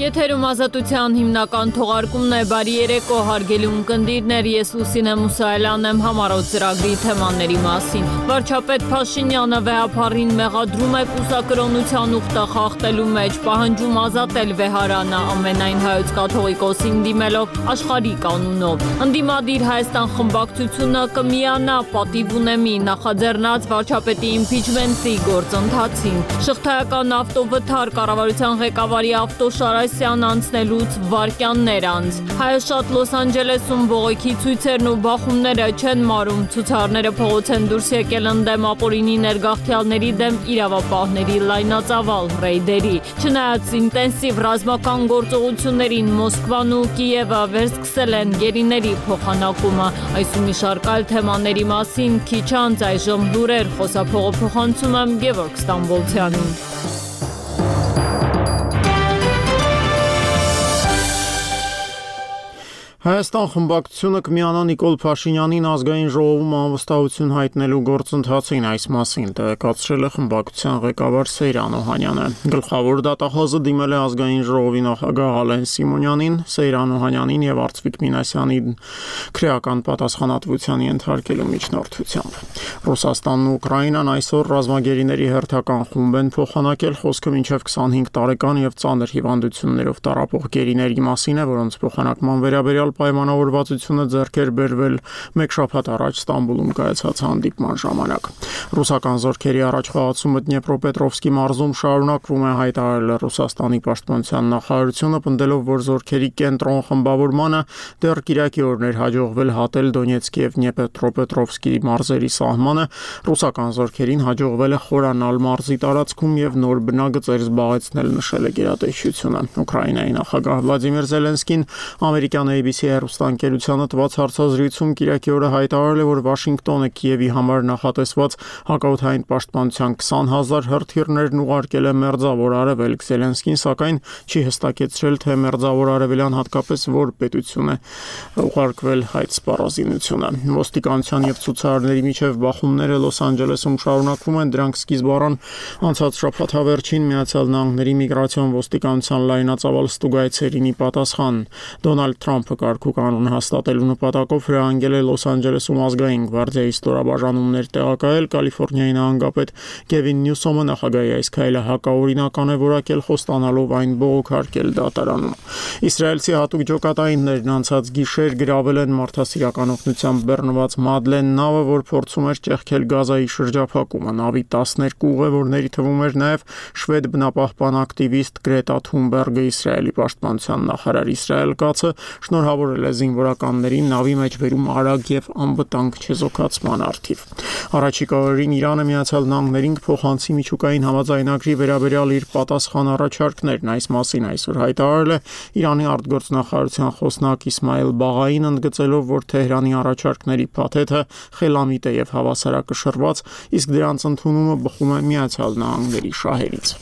Եթերում ազատության հիմնական թողարկումն է, բարի երեկո հարգելի ունկնդիրներ, ես Լուսինե Մուսայելյանն եմ, համառոտ ծրագրի թեմաների մասին։ Վարչապետ Փաշինյանը վեհափառին մեղադրում է կուսակրոնության ուխտը խախտելու մեջ, պահանջում ազատել Վեհարանը, ամենայն հայոց կաթողիկոսին դիմելով աշխարհի կանունով։ Ընդդիմադիր Հայաստան խմբակցությունը կմիանա պատիվ ունեմի նախաձեռնած վարչապետի իմպիչմենտի գործընթացին։ Շղթայական ավտովթար կառավարության ղեկավարի ավտոշարայ անցնելուց վայրկյաններ անց։ Հայաշատ Լոս Անջելեսում բողոքի ցույցերն ու բախումները չեն մարում, ցուցարարները փողոց են դուրս եկել ընդդեմ ապօրինի ներգաղթյալների դեմ իրավապահների լայնածավալ ռեյդերի։ Չնայած ինտենսիվ ռազմական գործողություններին Մոսկվան ու Կիևը վերսկսել են գերիների փոխանակումը։ Այս ու մի շարք այլ թեմաների մասին քիչ անց այժմ լուրեր խոսափողը փոխանցում եմ Գևորգ Ստամբոլցյանին։ Հայաստան խմբակցությունը կմիանա Նիկոլ Փաշինյանին ազգային ժողովում անվստահություն հայտնելու գործընթացին, այս մասին տեղեկացրել է խմբակցության ղեկավար Սեյրան Օհանյանը։ Գլխավոր դատախազը դիմել է ազգային ժողովի նախագահ Ալեն Սիմոնյանին, Սեյրան Օհանյանին եւ Արծվիկ Մինասյանին քրեական պատասխանատվության ենթարկելու միջնորդությամբ։ Ռուսաստանն ու Ուկրաինան այսօր ռազմագերիների հերթական խումբ են փոխանակել, խոսքը մինչև 25 տարեկան եւ ծանր հիվանդություններով տառապող գերիների մասին է, որոնց փոխանակման վերաբերյալ պայմանավորվածությունը ձեռք էր բերվել մեկ շաբաթ առաջ Ստամբուլում կայացած հանդիպման ժամանակ։ Ռուսական զորքերի առաջխաղացումը Դնեպրոպետրովսկի մարզում շարունակվում է, հայտարարել է Ռուսաստանի պաշտպանության նախարարությունը, պնդելով, որ զորքերի կենտրոն խմբավորմանը դեռ կիրակի օրներ հաջողվել հատել Դոնեցկի եւ Դնեպրոպետրովսկի մարզերի սահմանը, ռուսական զորքերին հաջողվել է խորանալ մարզի տարածքում եւ նոր բնագծեր զբաղեցնել, նշել է գերատեսչությունը։ Ուկրաինայի նախագահ Վլադիմիր Զելենսկին ամերիկյան ABC հեռուստաընկերությանը տված հարցազրույցում կիրակի օրը հայտարարել է, որ Վաշինգտոնը Կիևի համար նախատեսված հակաօդային պաշտպանության 20,000 հրթիռներն ուղարկել է Մերձավոր Արևելք։ Զելենսկին սակայն չի հստակեցրել, թե Մերձավոր Արևելյան հատկապես որ պետություն է ուղարկվել այդ սպառազինությունը։ Ոստիկանության եւ ցուցարարների միջև բախումները Լոս Անջելեսում շարունակվում են, դրանք սկիզբ առան անցած շաբաթավերջին Միացյալ Նահանգների միգրացիոն ոստիկանության լայնածավալ ստուգայցերին ի պատասխան։ Դոնալդ Թրամփը կարգուկանոն հաստատելու նպատակով հրահանգել է Լոս Անջելեսում ազգային գվարդիայի ստորաբաժանումներ տեղակայել։ Կալիֆոռնիայի նահանգապետ Կևին Նյուսոմը նախագահի այս քայլը հակաօրինական է որակել, խոստանալով այն բողոքարկել դատարանում։ Իսրայելցի հատուկ ջոկատայիններն անցած գիշեր գրավել են մարդասիրական օգնությամբ բեռնված Մադլեն նավը, որ փորձում էր ճեղքել Գազայի շրջափակումը։ Նավի 12 ուղևորների թվում էր նաև շվեդ բնապահպան ակտիվիստ Գրետա Թունբերգը։ Իսրայելի պաշտպանության նախարար Իսրայել Կացը շնորհավորել է զինվորականներին նավի մեջ բերում արագ եւ անվտանգ չեզոքացման արդիվ։ Առաջիկա օրերին Իրանը Միացյալ Նահանգներին կփոխանցի միջուկային համաձայնագրի վերաբերյալ իր պատասխան առաջարկներն։ Այս մասին այսօր հայտարարել է Իրանի արտգործնախարարության խոսնակ Իսմայել Բաղային, ընդգծելով, որ Թեհրանի առաջարկների փաթեթը խելամիտ է եւ հավասարակշռված, իսկ դրանց ընդունումը բխում է Միացյալ Նահանգների շահերից։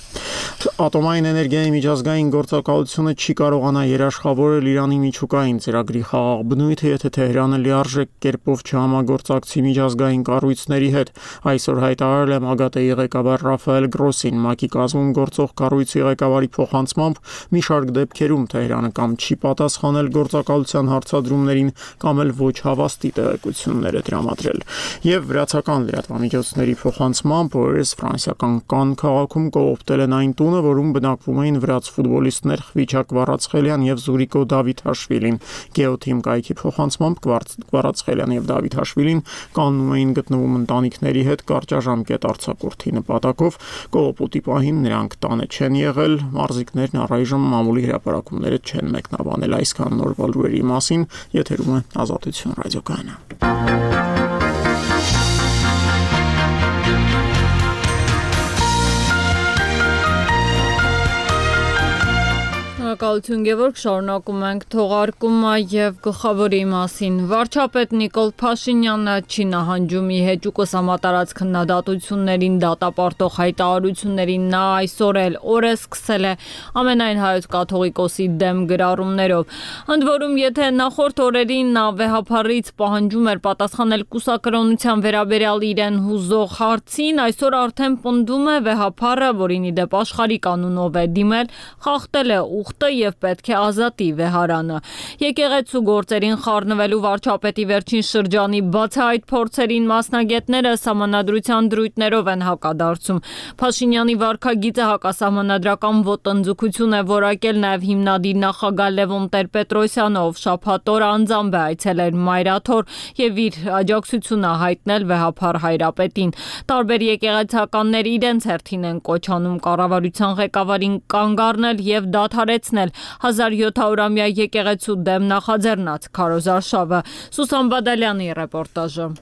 Ատոմային էներգիայի միջազգային գործակալությունը չի կարողանա երաշխավորել Իրանի միջուկային ծրագրի խաղաղ բնույթը, եթե Թեհրանը լիարժեք կերպով չհամագործակցի միջազգային կառույցների հետ։ Այսօր հայտարարել է ՄԱԳԱՏԷ-ի ղեկավար Ռաֆայել Գրոսին։ ՄԱԿ-ի կազմում գործող կառույցի ղեկավարի փոխանցմամբ մի շարք դեպքերում Թեհրանը կամ չի պատասխանել գործակալության հարցադրումներին, կամ էլ ոչ հավաստի տեղեկություններ է տրամադրել։ Եվ վրացական լրատվամիջոցների փոխանցմամբ օրերս ֆրանսիական Կանն քաղաքում կողոպտել են այն տունը, որում բնակվում էին վրաց ֆուտբոլիստներ Խվիչա Կվարացխելյան եւ Զուրիկո Դավիթաշվիլին։ Գեոթիմ կայքի փոխանցմամբ Կվարացխելյան եւ Դավիթաշվիլին կաննում էին գտնվում ընտանիքների հետ կարճաժամկետ արձակուրդի նպատակով։ Կողոպուտի պահին նրանք տանը չեն եղել, մարզիկներն առայժմ մամուլի հրապարակումները չեն մեկնաբանել։ Այսքան նոր լուրերի մասին եթերում է Ազատություն ռադիոկայանը։ Շնորհակալություն Գևորգ, շարունակում ենք թողարկումը եւ գլխավորի մասին։ Վարչապետ Նիկոլ Փաշինյանը չի նահանջում ի հեճուկս համատարած քննադատություններին դատապարտող հայտարարություններին։ Նա այսօր էլ օրը սկսել է ամենայն հայոց կաթողիկոսի դեմ գրառումներով։ Ընդ որում, եթե նախորդ օրերին նա վեհափառից պահանջում էր պատասխանել կուսակրոնության վերաբերյալ իրեն հուզող հարցին, այսօր արդեն պնդում է վեհափառը, որին ի դեպ աշխարհի կանունով է դիմել, խախտել է ուխտը եւ պետք է ազատի վեհարանը։ Եկեղեցու գործերին խառնվելու վարչապետի վերջին շրջանի բացահայտ փորձերին մասնագետները սահմանադրության դրույթներով են հակադարձում։ Փաշինյանի վարքագիծը հակասահմանադրական ոտնձգություն է որակել նաեւ հիմնադիր նախագահ Լևոն Տեր-Պետրոսյանը, ով շաբաթ օր անձամբ է այցելել Մայրաթոր եւ իր աջակցությունը հայտնել վեհափառ հայրապետին։ Տարբեր եկեղեցականներ իրենց հերթին են կոչ անում կառավարության ղեկավարին կանգ առնել եւ դադարեցնել 1700-ամյա եկեղեցու դեմ նախաձեռնած քարոզարշավը։ Սուսան Բադալյանի ռեպորտաժը։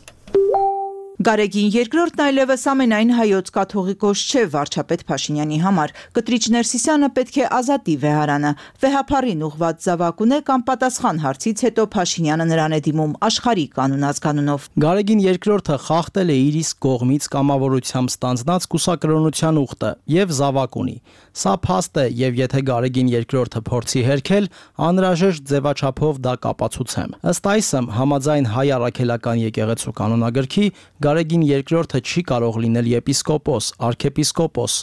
Գարեգին երկրորդն այլևս ամենայն հայոց կաթողիկոս չէ վարչապետ Փաշինյանի համար։ Կտրիչ Ներսիսյանը պետք է ազատի վեհարանը։ Վեհափառին ուղղված զավակ ունե կամ պատասխան հարցից հետո Փաշինյանը նրան է դիմում աշխարհիկ անունազգանունով։ Գարեգին երկրորդը խախտել է իր իսկ կողմից կամավորությամբ ստանձնած կուսակրոնության ուխտը եւ զավակ ունի։ Սա փաստ է եւ եթե Գարեգին երկրորդը փորձի հերքել, անհրաժեշտ ձևաչափով դա կապացուցեմ։ Ըստ այսմ, համաձայն հայ առաքելական եկեղեցու կանոնագրքի Գարեգին երկրորդը չի կարող լինել եպիսկոպոս, արքեպիսկոպոս,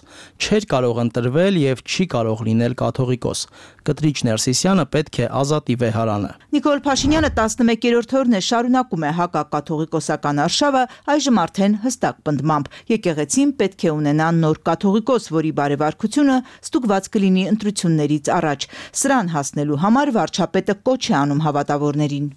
չէր կարող ընտրվել եւ չի կարող լինել կաթողիկոս։ Կտրիչ Ներսիսյանը պետք է ազատի վեհարանը։ Նիկոլ Փաշինյանը 11-րդ օրն է շարունակում է հակակաթողիկոսական արշավը, այժմ արդեն հստակ պնդմամբ։ Եկեղեցին պետք է ունենա նոր կաթողիկոս, որի բարեվարքությունը ստուգված կլինի ընտրություններից առաջ։ Սրան հասնելու համար վարչապետը կոչ է անում հավատավորներին։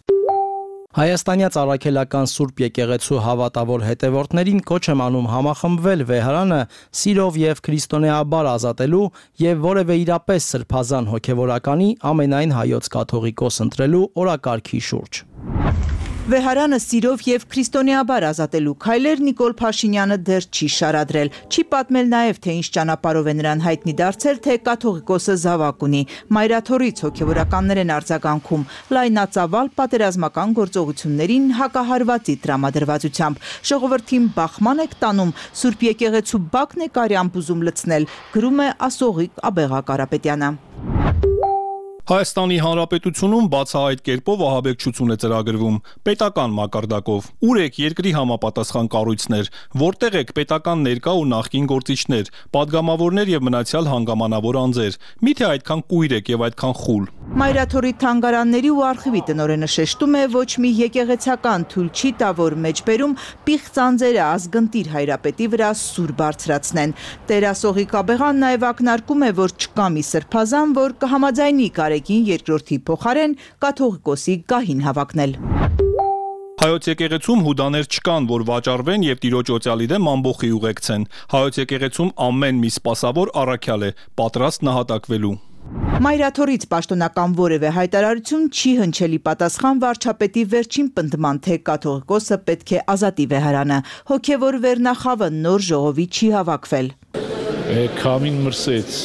Հայաստանյաց առաքելական Սուրբ եկեղեցու հավատավոր հետևորդներին կոչ եմ անում համախմբվել վեհարանը սիրով եւ քրիստոնեաբար ազատելու եւ որևէ իրապես սրբազան հոգեվորականի ամենայն հայոց կաթողիկոս ընտրելու օրակարգի շուրջ։ Վեհարանը սիրով եւ քրիստոնեաբար ազատելու քայլեր Նիկոլ Փաշինյանը դեռ չի շարադրել։ Չի պատմել նաեւ, թե ինչ ճանապարհով է նրան հայտնի դարձել, թե կաթողիկոսը զավակ ունի։ Մայրաթորից հոգեվորականներ են արձագանքում լայնածավալ պատերազմական գործողություններին հակահարվածի տրամադրվածությամբ։ Ժողովրդին բախման եք տանում, Սուրբ եկեղեցու բակն է կարյամբ ուզում լցնել, գրում է Ասողիկ Աբեղա Կարապետյանը։ Հայաստանի Հանրապետությունում բացահայտ կերպով ահաբեկչություն է ծրագրվում պետական մակարդակով։ Ուր եք երկրի համապատասխան կառույցներ, որտեղ եք պետական ներկա ու նախկին գործիչներ, падգամավորներ եւ մնացյալ հանգամանավոր անձեր։ Միթե այդքան կույր եք եւ այդքան խուլ։ Մայրաթորի թանգարանների ու արխիվի տնօրենը շեշտում է, ոչ մի եկեղեցական թույլ չի տա, որ մեջբերում պիղծ անձերը ազգընտիր հայրապետի վրա սուր բարձրացնեն։ Տեր Ասողիկ Աբեղան նաեւ ակնարկում է, որ չկա մի սրբազան, որ կհամաձայնի Գարեգին երկրորդի փոխարեն կաթողիկոսի գահին հավակնել։ Հայոց եկեղեցում հուդաներ չկան, որ վաճառվեն եւ տիրոջ օծյալի դեմ ամբոխի ուղեկցեն։ Հայոց եկեղեցում ամեն մի սպասավոր առաքյալ է, պատրաստ նահատակվելու։ Մայրաթորից պաշտոնական որևէ հայտարարություն չի հնչելի պատասխան վարչապետի վերջին պնդման, թե կաթողիկոսը պետք է ազատի վեհարանը։ Հոգևոր վերնախավը նոր ժողովի չի հավաքվել։ Քամին մրսեց։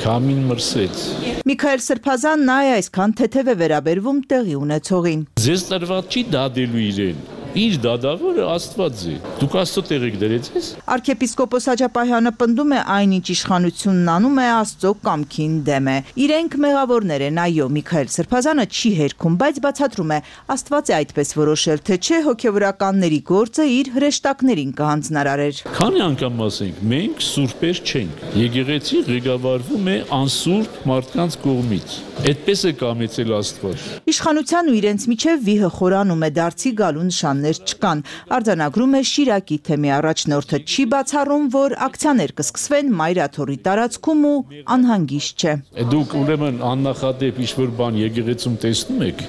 Միքայել Սրբազան նա է այսքան թեթև է վերաբերվում տեղի ունեցողին։ Ձեզ տրված չի դադելու իրեն։ Իր դադավորը Աստված է։ Դուք Աստծո տեղ եք դրեց ես։ Արքեպիսկոպոս Աջապահյանը պնդում է այնինչ իշխանությունն անում է Աստծո կամքին դեմ է։ Իրենք մեղավորներ են, այո, Միքայել Սրբազանը չի հերքում, բայց բացատրում է Աստված է այդպես որոշել, թե չէ հոգևորականների գործը իր հրեշտակներին կհանձնարարեր։ Քանի անգամ ասենք, մենք սուրբեր չենք։ Եկեղեցին ղեկավարվում է անսուրբ մարդկանց կողմից։ Այդպես է կամեցել Աստված։ Իշխանության ու իրենց միջև վիհը խորանում է, դարձի գալու նշաններ չկան։ Արձանագրում է Շիրակի թեմի առաջնորդը, չի բացառում, որ ակցիաներ կսկսվեն Մայրաթորի տարածքում ու անհանգիստ չէ։ Դուք ուրեմն աննախադեպ ինչ-որ բան եկեղեցում տեսնում եք,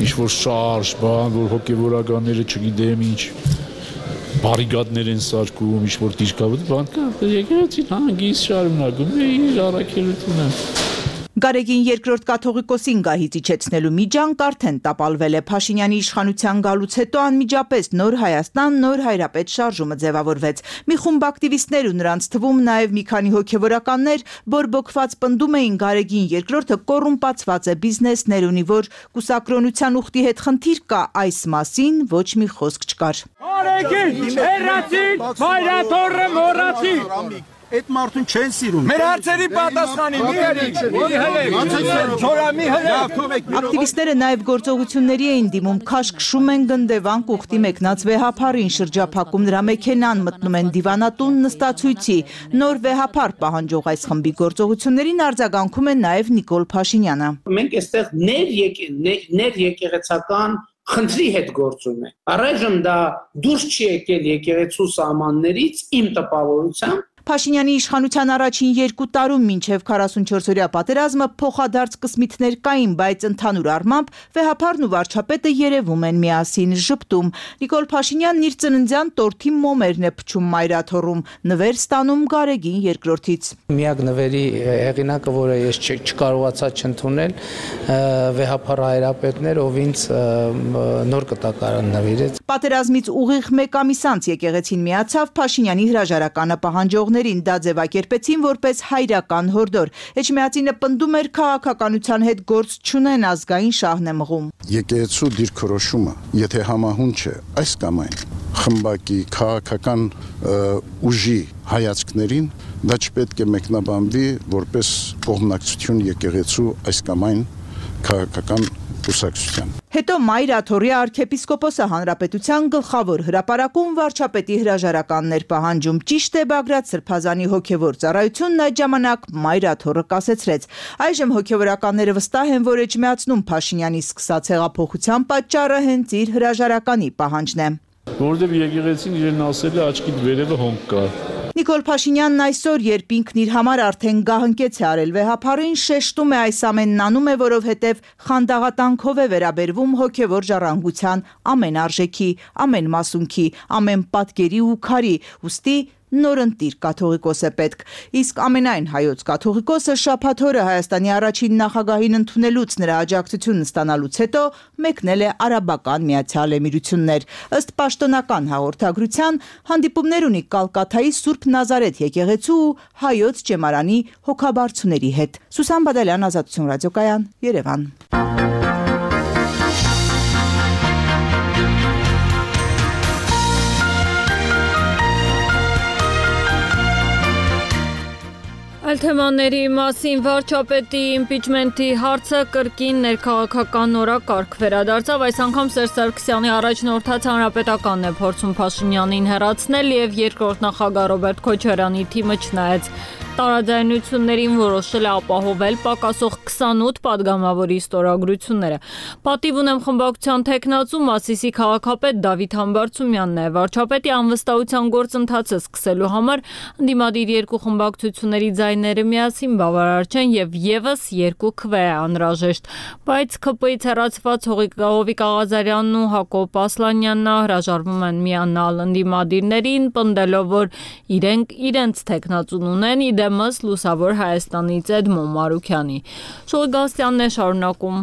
ինչ-որ շարժ, բան, որ հոգևորականները չգիտեմ ինչ բարիկադներ են սարքում, ինչ-որ դիրքավոր բան կա, եկեղեցին հանգիստ շարունակում է իր առաքելությունը։ Գարեգին երկրորդ կաթողիկոսին գահից իջեցնելու միջանք արդեն տապալվել է։ Փաշինյանի իշխանության գալուց հետո անմիջապես Նոր Հայաստան, Նոր Հայրապետ շարժումը ձևավորվեց։ Մի խումբ ակտիվիստներ ու նրանց թվում նաև մի քանի հոգևորականներ բորբոքված պնդում էին Գարեգին երկրորդը կոռումպացված է, բիզնեսներ ունի, որ կուսակրոնության ուխտի հետ խնդիր կա, այս մասին ոչ մի խոսք չկար։ Գարեգին, հերացին, Մայրաթորը մոռացի։ այդ մարդուն չեն սիրում։ Մեր հարցերի պատասխանի մի Ակտիվիստները նաև գործողությունների էին դիմում, քաշքշում են գնդեվանք ուխտի մեկնած վեհափարին, շրջափակում նրա մեքենան, մտնում են դիվանատուն նստացույցի։ Նոր վեհափար պահանջող այս խմբի գործողություններին արձագանքում է նաև Նիկոլ Փաշինյանը։ Մենք այստեղ ներեկեղեցական խնդրի հետ գործում ենք։ Առայժմ դա դուրս չի եկել եկեղեցու սահմաններից իմ տպավորությամբ։ Փաշինյանի իշխանության առաջին 2 տարում մինչև 44-օրյա պատերազմը փոխադարձ կսմիթներ կային, բայց ընդհանուր առմամբ վեհափարն ու վարչապետը երևում են միասին ժպտում։ Նիկոլ Փաշինյանն իր ծննդյան տորթի մոմերն է փչում մայրաթոռում, նվեր ստանում Գարեգին II-ից։ Միակ նվերի հեղինակը, որը ես չկարողացա չընդունել, վեհափար հայրապետներ, ով ինձ նոր կտակարան նվիրեց։ Պատերազմից ուղիղ 1 ամիս անց եկեղեցին միացավ Փաշինյանի հրաժարականը պահանջողներին, դա ձևակերպեցին որպես հայրական հորդոր։ Էջմիածինը պնդում էր քաղաքականության հետ գործ չունեն, ազգային շահն է մղում։ Եկեղեցու դիրքորոշումը, եթե համահուն չէ, այս կամ այն խմբակի քաղաքական ուժի հայացքներին, դա չպետք է մեկնաբանվի որպես կողմնակցություն եկեղեցու այս կամ այն քաղաքական կուսակցության։ Հետո մայրաթոռի arczepiskopos-ը հանրապետության գլխավոր հրապարակում վարչապետի հրաժարականներ պահանջում։ Ճիշտ է, Բագրատ Սրբազանի հոգևոր ծառայությունն այդ ժամանակ մայրաթոռը կասեցրեց։ Այժմ հոգևորականները վստահ են, որ Էջմիածնում Փաշինյանի սկսած հեղափոխության պատճառը հենց իր հրաժարականի պահանջն է։ Որովհետև եկեղեցին իրեն ասել է աչքի վերևը հոնք կա։ Նիկոլ Փաշինյանն այսօր, երբ ինքն իր համար արդեն գահընկեց է արել վեհափարին, շեշտում է այս ամենն անում է, որովհետև խանդաղատանքով է վերաբերվում հոգևոր ժառանգության ամեն արժեքի, ամեն մասունքի, ամեն պատկերի ու քարի, ուստի նորընտիր կաթողիկոս է պետք։ Իսկ ամենայն հայոց կաթողիկոսը շաբաթ օրը Հայաստանի առաջին նախագահին ընդունելուց նրա աջակցությունն ստանալուց հետո մեկնել է Արաբական Միացյալ Էմիրություններ։ Ըստ պաշտոնական հաղորդագրության հանդիպումներ ունի Կալկաթայի Սուրբ Նազարեթ եկեղեցու ու հայոց ճեմարանի հոգաբարձուների հետ։ Սուսան Բադալյան, Ազատություն ռադիոկայան, Երևան։ Այլ թեմաների մասին վարչապետի իմպիչմենթի հարցը կրկին ներքաղաքական օրակարգ վերադարձավ։ Այս անգամ Սերժ Սարգսյանի առաջնորդած հանրապետականն է փորձում Փաշինյանին հեռացնել եւ երկրորդ նախագահ Ռոբերտ Քոչարյանի թիմը չնայած տարաձայնություններին որոշել է ապահովել պակասող 28 падգամավորի ստորագրությունները։ Պատիվ ունեմ խմբակցության տեխնացու Մասիսի քաղաքապետ Դավիթ Համբարձումյանն է։ Վարչապետի անվստահության գործընթացը սկսելու համար ընդդիմադիր երկու խմբակցությունների ձայները միասին բավարար չեն եւ եւս երկու քվե է անհրաժեշտ։ Բայց ԿՊ-ից հեռացված Հովիկ Աղազարյանն ու Հակոբ Ասլանյանն հրաժարվում են միանալ ընդդիմադիրներին, պնդելով, որ իրենց տեխնացուն ունեն, դեմս Լուսավոր Հայաստանից Էդմոն Մարուքյանի։ Շողգասյանն է շարունակում։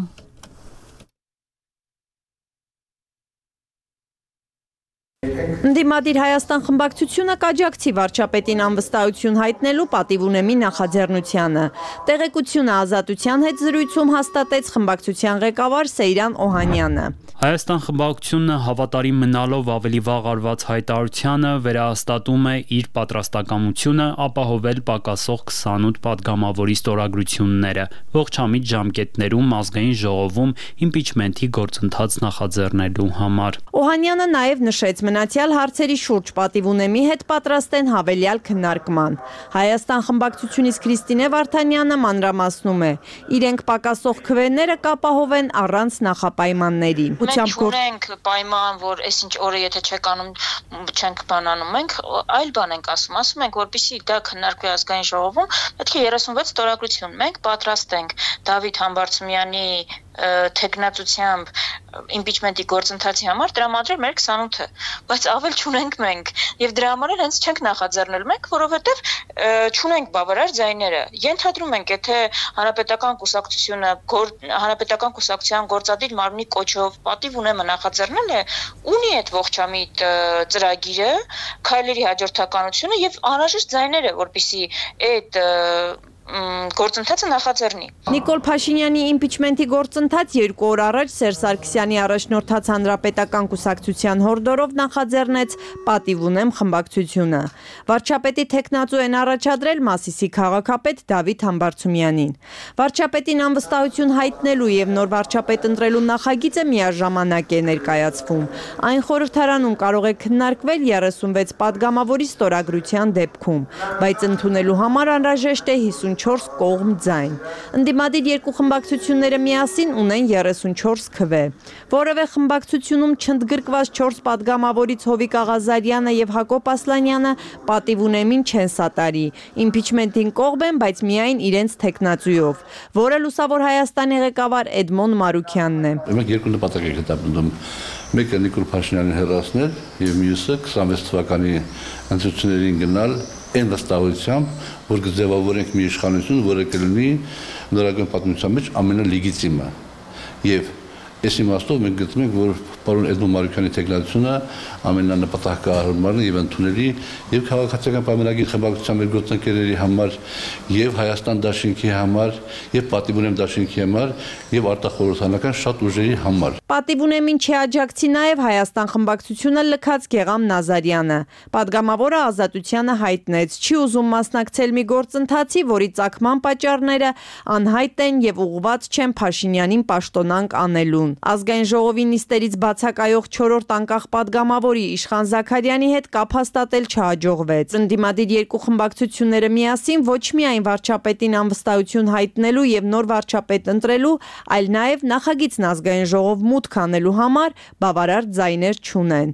Ընդդիմադիր Հայաստան խմբակցությունը կաջակցի վարչապետին անվստահություն հայտնելու պատիվ ունեմի նախաձեռնությանը։ Տեղեկությունը Ազատության հետ զրույցում հաստատեց խմբակցության ղեկավար Սեյրան Օհանյանը։ Հայաստան խմբակցությունը հավատարիմ մնալով ավելի վաղ արված հայտարարությանը վերահաստատում է իր պատրաստակամությունը ապահովել պակասող 28 падգամավորի ստորագրությունները ողջամիտ ժամկետներում ազգային ժողովում իմպիչմենթի գործընթաց նախաձեռնելու համար։ Օհանյանը նաև նշեց մնացյալ հարցերի շուրջ պատիվ ունեմի հետ պատրաստ են հավելյալ քննարկման։ Հայաստան խմբակցությունից Քրիստինե Վարդանյանը մանրամասնում է. իրենք պակասող քվեները կապահովեն առանց նախապայմանների։ Մենք ունենք պայման, որ այսինչ օրը եթե չեք անում, չենք բանանում, մենք այլ բան ենք ասում ենք, որպեսզի դա քննարկվի ազգային ժողովում, պետք է 36 ստորագրություն։ Մենք պատրաստ ենք Դավիթ Համբարձումյանի տեխնացությամբ իմպիչմենթի գործընթացի համար տրամադրել մեր 28-ը, բայց ավել չունենք մենք եւ դրա համար էլ հենց չենք նախաձեռնել մենք, որովհետեւ չունենք բավարար ձայները։ Ենթադրում ենք, եթե հանրապետական կուսակցության գործադիր մարմնի կոչով պատիվ ունեմը նախաձեռնել է, ունի այդ ողջամիտ ծրագիրը, քայլերի հաջորդականությունը եւ անհրաժեշտ ձայները, որպեսզի այդ գործընթացը նախաձեռնի։ Նիկոլ Փաշինյանի իմպիչմենթի գործընթաց 2 օր առաջ Սերժ Սարգսյանի առաջնորդած Հանրապետական կուսակցության հորդորով նախաձեռնեց «Պատիվ ունեմ» խմբակցությունը։ Վարչապետի թեկնածու են առաջադրել Մասիսի քաղաքապետ Դավիթ Համբարձումյանին։ Վարչապետին անվստահություն հայտնելու եւ նոր վարչապետ ընտրելու նախագիծը միաժամանակ է ներկայացվում։ Այն խորհրդարանում կարող է քննարկվել 36 падգամավորի ստորագրության դեպքում, բայց ընդունելու համար անհրաժեշտ է 54 կողմ ձայն։ Ընդդիմադիր երկու խմբակցությունները միասին ունեն 34 քվե։ Որևէ խմբակցությունում չընդգրկված 4 падգամավորից Հովիկ Աղազարյանը եւ Հակոբ Ասլանյանը պատիվ ունեմին չեն սատարի։ Իմպիչմենտին կողմ են, բայց միայն իրենց թեկնածուով, որը Լուսավոր Հայաստանի ղեկավար Էդմոն Մարուքյանն է։ Մենք երկու նպատակ ենք հետապնդում։ Մեկը Նիկոլ Փաշինյանին հեռացնել եւ մյուսը 26 թվականի ընտրություններին գնալ այն վստահությամբ, որ կձևավորենք մի իշխանություն, որը կլինի նորագույն պատմության մեջ ամենալեգիտիմը։ Եվ այս իմաստով մենք գտնում ենք, որ պարոն Էդմոն Մարուքյանի թեկնածությունը ամենանպատակահարմարն եւ ընդունելի եւ քաղաքացիական պայմանագիր խմբակցության մեր գործընկերների համար եւ Հայաստան դաշինքի համար եւ Պատիվ ունեմ դաշինքի համար եւ արտախորհրդանական շատ ուժերի համար։ Պատիվ ունեմին չի աջակցի նաեւ Հայաստան խմբակցությունը լքած Գեգամ Նազարյանը։ Պատգամավորը Ազատությանը հայտնեց, չի ուզում մասնակցել մի գործընթացի, որի ծագման պատճառները անհայտ են եւ ուղղված չեն Փաշինյանին պաշտոնանկ անելուն։ Ազգային ժողովի նիստերից բացակայող 4-րդ անկախ падգամավորի Իշխան Զաքարյանի հետ կապ հաստատել չհաջողվեց։ Ընդդիմադիր երկու խմբակցությունները միասին ոչ միայն վարչապետին անվստահություն հայտնելու եւ նոր վարչապետ ընտրելու, այլ նաեւ նախագիծն ազգային ժողով մուտք անելու համար բավարար ձայներ չունեն։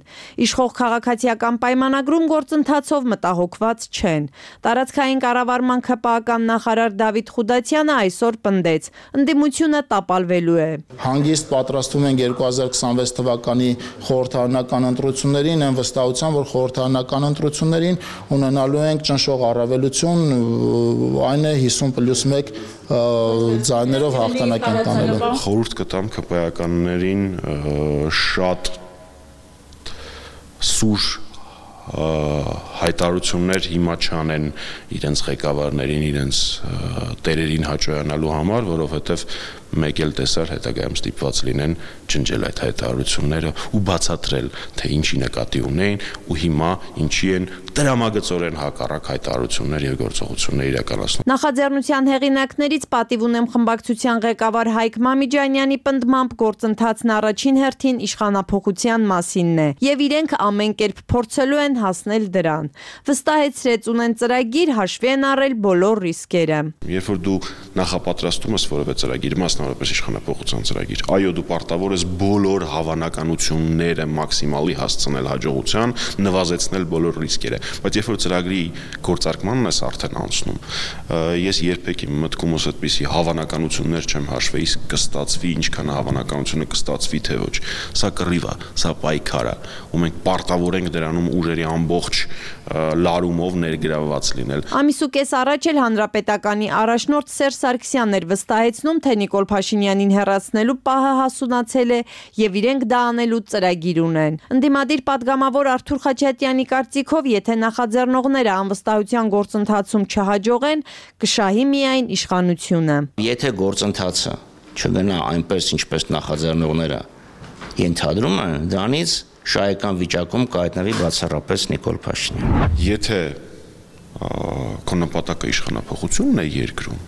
Իշխող քաղաքացիական պայմանագրում գործընթացով մտահոգված չեն։ Տարածքային կառավարման ԿՊԱ-ական նախարար Դավիթ Խուդատյանը այսօր պնդեց. ընդդիմությունը տապալվելու է։ Հանգիստ պատրաստվում են 2026 թվականի խորհրդարանական ընտրություններին, այն վստահության, որ խորհրդարանական ընտրություններին ունենալու ենք ճնշող առավելություն, այն է 50+1 ձայներով հաղթանակ ենք տանելու։ Խորհուրդ կտամ ԿՊԱ-ականներին շատ սուր հայտարարություններ հիմա չանեն իրենց ղեկավարներին, իրենց տերերին հաճոյանալու համար, որովհետև մեկ էլ տեսար հետագայում ստիպված լինեն ջնջել այդ հայտարարությունները ու բացատրել, թե ինչի նկատի ունեն ու հիմա ինչի են տրամագծորեն հակառակ հայտարարություններ եւ գործողություններ իրականացնում։ Նախաձեռնության հեղինակներից Պատիվ ունեմ խմբակցության ղեկավար Հայկ Մամիջանյանի պնդմամբ գործընթացն առաջին հերթին իշխանափոխության մասինն է եւ իրենք ամեն կերպ փորձելու են հասնել դրան։ Վստահեցրեց ունեն ծրագիր, հաշվի են առել բոլոր ռիսկերը։ Երբ որ դու նախապատրաստում ես որևէ ծրագիր, մասնավորապես իշխանափոխության ծրագիր, այո, դու պարտավոր ես բոլոր հավանականությունները մաքսիմալի հասցնել հաջողության, նվազեցնել բոլոր ռիսկերը, բայց երբ որ ծրագրի գործարկմանն ես արդեն անցնում, ես երբեք իմ մտքումս այդպիսի հավանականություններ չեմ հաշվել, իսկ կստացվի, ինչքան հավանականությունը կստացվի, թե ոչ։ Սա կռիվ է, սա պայքար է, ու մենք պարտավոր ենք դրանում ուժերի ամբողջ լարումով ներգրավված լինել։ Ամիս ու կես առաջ էլ Հանրապետականի առաջնորդ Սերժ Սարգսյանն էր վստահեցնում, թե Նիկոլ Փաշինյանին հեռացնելու պահը հասունացել է եւ իրենք դա անելու ծրագիր ունեն։ Ընդդիմադիր падգամավոր Արթուր Խաչատյանի կարծիքով, եթե նախաձեռնողները անվստահության գործընթացում չհաջողեն, կշահի միայն իշխանությունը։ Եթե գործընթացը չգնա այնպես, ինչպես նախաձեռնողները ենթադրում են, դրանից շահեկան վիճակում կհայտնվի բացառապես Նիկոլ Փաշինյանը։ Եթե քո նպատակը իշխանափոխությունն է երկրում,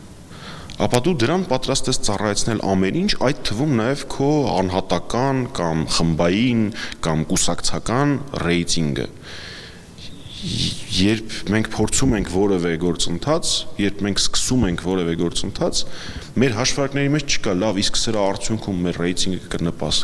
ապա դու դրան պատրաստ ես ծառայեցնել ամեն ինչ, այդ թվում նաև քո անհատական կամ խմբային կամ կուսակցական ռեյտինգը։ Երբ մենք փորձում ենք որևէ գործընթաց, երբ մենք սկսում ենք որևէ գործընթաց, մեր հաշվարկների մեջ չկա լավ, իսկ սրա արդյունքում մեր ռեյտինգը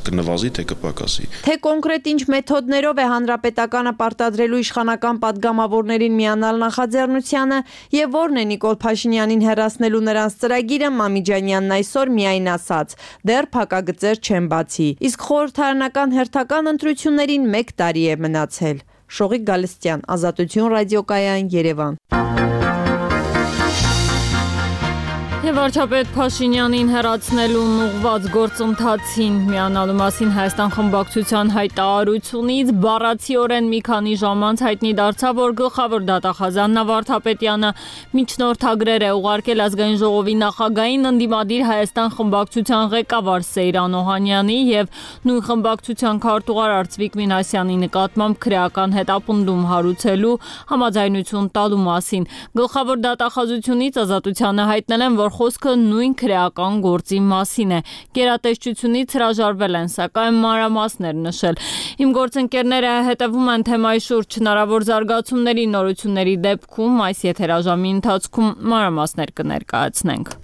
կնվազի, թե կպակասի։ Թե կոնկրետ ինչ մեթոդներով է Հանրապետականը պարտադրելու իշխանական падգամավորներին միանալ նախաձեռնությանը եւ որն է Նիկոլ Փաշինյանին հեռացնելու նրանց ծրագիրը, Մամիջանյանն այսօր միայն ասաց. դեռ փակագծեր չեն բացի։ Իսկ խորհրդարանական հերթական ընտրություններին 1 տարի է մնացել։ Շողիկ Գալստյան, Ազատություն ռադիոկայան, Երևան։ Վարչապետ Փաշինյանին հեռացնելուն ուղղված գործընթացին միանալու մասին Հայաստան խմբակցության հայտարարությունից բառացիորեն մի քանի ժամ անց հայտնի դարձավ, որ գլխավոր դատախազ Աննա Վարդապետյանը միջնորդագրեր է ուղարկել Ազգային ժողովի նախագահին ընդդիմադիր Հայաստան խմբակցության ղեկավար Սեյրան Օհանյանի եւ նույն խմբակցության քարտուղար Արծվիկ Մինասյանի նկատմամբ քրեական հետապնդում հարուցելու համաձայնություն տալու մասին։ Գլխավոր դատախազությունից Ազատությանը հայտնել են, որ խոսքը նույն քրեական գործի մասին է։ Գերատեսչությունից հրաժարվել են, սակայն մանրամասներ նշել։ Իմ գործընկերները հետևում են թեմայի շուրջ հնարավոր զարգացումների, նորությունների դեպքում այս եթերաժամի ընթացքում մանրամասներ կներկայացնենք։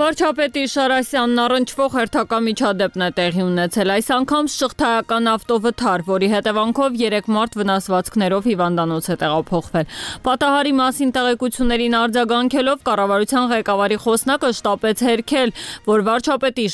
Վարչապետի Շարասյանն առնչվող հերթական միջադեպն է տեղի ունեցել։ Այս անգամ շղթայական ավտովթար, որի հետևանքով 3 մարդ վնասվածքներով հիվանդանոց է տեղափոխվել։ Պատահարի մասին տեղեկություններին արձագանքելով կառավարության ղեկավարի խոսնակը շտապեց հերքել վարչապետի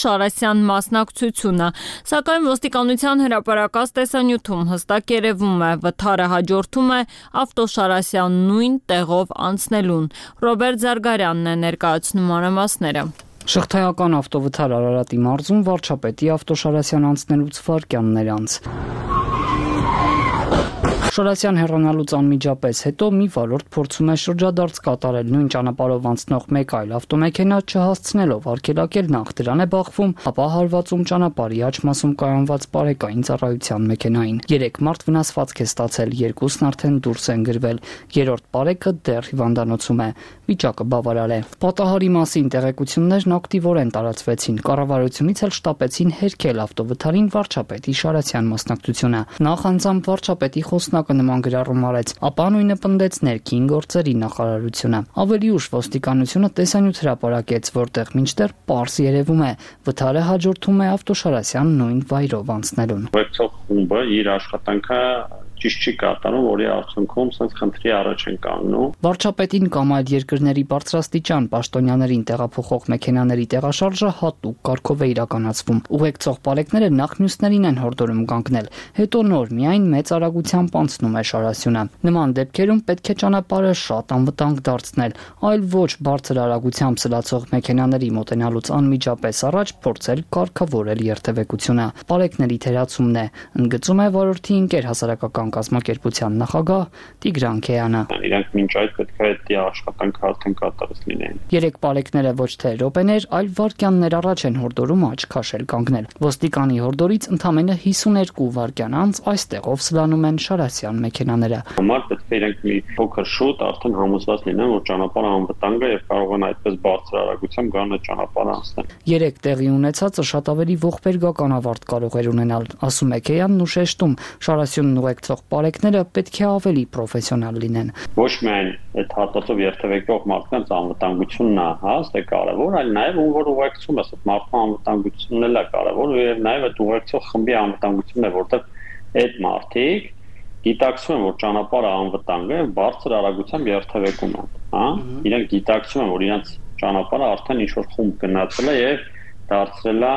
Շարասյան մասնակցությունը, սակայն ոստիկանության հրապարակած տեսանյութում հստակ երևում է, վթարը հաջորդում է ավտոշարասյան նույն տեղով անցնելուն։ Ռոբերտ Զարգարյանն է ներկայացնում մանրամասները։ Շղթայական ավտովթար Արարատի մարզում վարչապետի ավտոշարասյան անցնելուց վայրկյաններ անց։ Շարասյան հեռանալուց անմիջապես հետո մի վարորդ փորձում է շրջադարձ կատարել նույն ճանապարհով անցնող մեկ այլ ավտոմեքենա չհասցնելով արգելակել նախ դրան է բախվում, ապա հարվածում ճանապարհի աջ մասում կայանված բարեկային ծառայության մեքենային։ 3 մարդ վնասվածք է ստացել, 2-ն արդեն դուրս են գրվել, 3-րդ բարեկը դեռ հիվանդանոցում է, վիճակը բավարար է։ Պատահարի մասին տեղեկություններն ակտիվորեն տարածվեցին, կառավարությունից էլ շտապեցին հերքել ավտովթարին վարչապետի Շարասյան մասնակցությունը։ Նախ անձամբ վարչապետի խոսնակը նման գրառում արեց, ապա նույնը պնդեց ներքին գործերի նախարարությունը։ Ավելի ուշ ոստիկանությունը տեսանյութ հրապարակեց, որտեղ մինչդեռ պարզ երևում է, վթարը հաջորդում է ավտոշարասյան նույն վայրով անցնելուն։ Ուղեկցող խումբը իր աշխատանքը ճիշտ չի կատարում, որի արդյունքում սենց խնդրի առաջ են կանգնում։ Վարչապետին կամ այլ երկրների բարձրաստիճան պաշտոնյաներին տեղափոխող մեքենաների տեղաշարժը հատուկ կարգով է իրականացվում։ Ուղեկցող բարեկները նախ մյուսներին են հորդորում կանգնել, հետո նոր միայն մեծ արագությամբ անցնում է Շարասյունը։ Նման դեպքերում պետք է ճանապարհը շատ անվտանգ դարձնել, այլ ոչ բարձր արագությամբ սլացող մեքենաների մոտենալուց անմիջապես առաջ փորձել կարգավորել երթևեկությունը։ Բարեկների թերացումն է, ընդգծում է վարորդի ընկեր հասարակական կազմակերպության նախագահ Տիգրան Քեյանը։ Իրանք մինչ այդ պետք է այդ աշխատանքը արդեն կատարած լինեն։ 3 բարեկները ոչ թե րոպեներ, այլ վայրկյաններ առաջ են հորդորում աչք քաշել կանգնել։ Ոստիկանի հորդորից ընդամենը 52 վայրկյան անց այստեղով սլանում են Շարասյան մեքենաները։ Համար պետք է իրենք մի փոքր շուտ արդեն համոզված լինեն, որ ճանապարհը անվտանգ է եւ կարող են այդպես բարձր արագությամբ գան այդ ճանապարհը անցնել։ 3 տեղի ունեցածը շատ ավելի ողբերգական ավարտ կարող էր ունենալ, ասում է Քեյանն ու շեշտում, Շարասյունն ուղեկցող բարեկները պետք է ավելի պրոֆեսիոնալ լինեն։ Ոչ միայն այդ հատվածով երթևեկող մարդկանց անվտանգությունն է հաստ է կարևոր, այլ նաև ում որ ուղեկցում է, այդ մարդու անվտանգությունն էլ է կարևոր եւ նաև այդ ուղեկցող խմբի անվտանգությունն է, որտեղ այդ մարդիկ գիտակցում են, որ ճանապարհը անվտանգ է, բարձր արագությամբ երթևեկում են, հա։ Իրենք գիտակցում են, որ իրենց ճանապարհը արդեն ինչ-որ խումբ գնացել է եւ դարձրել է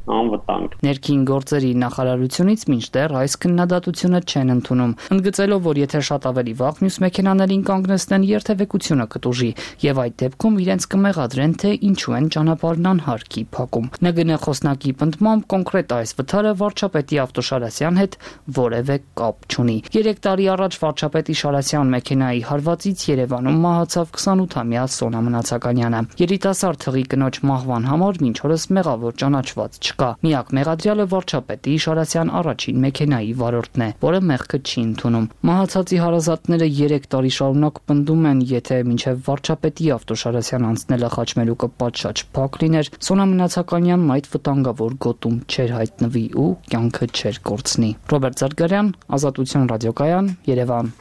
անվտանգ։ Ներքին գործերի նախարարությունից մինչդեռ այս քննադատությունը չեն ընդունում, ընդգծելով, որ եթե շատ ավելի վաղ մյուս մեքենաներին կանգնեցնեն, երթևեկությունը կտուժի եւ այդ դեպքում իրենց կմեղադրեն, թե ինչու են ճանապարհն անհարկի փակում։ ՆԳՆ խոսնակի պնդմամբ կոնկրետ այս վթարը վարչապետի ավտոշարասյան հետ որևէ կապ չունի։ 3 տարի առաջ վարչապետի Շարասյան մեքենայի հարվածից Երևանում մահացավ 28-ամյա Սոնա Մնացականյանը։ Երիտասարդ թղի կնոջ մահվան համար մինչ օրս մեղավոր ճանաչված չկա։ Միակ մեղադրյալը վարչապետի Շարասյան առաջին մեքենայի վարորդն է, որը մեղքը չի ընդունում։ Մահացածի հարազատները 3 տարի շարունակ պնդում են, եթե մինչև վարչապետի ավտոշարասյան անցնելը խաչմերուկը պատշաճ փակ լիներ, Սոնա Մնացականյանն այդ վտանգավոր գոտում չէր հայտնվի ու կյանքը չէր կորցնի։ Ռոբերտ Զարգարյան, Ազատություն ռադիոկայան, Երևան։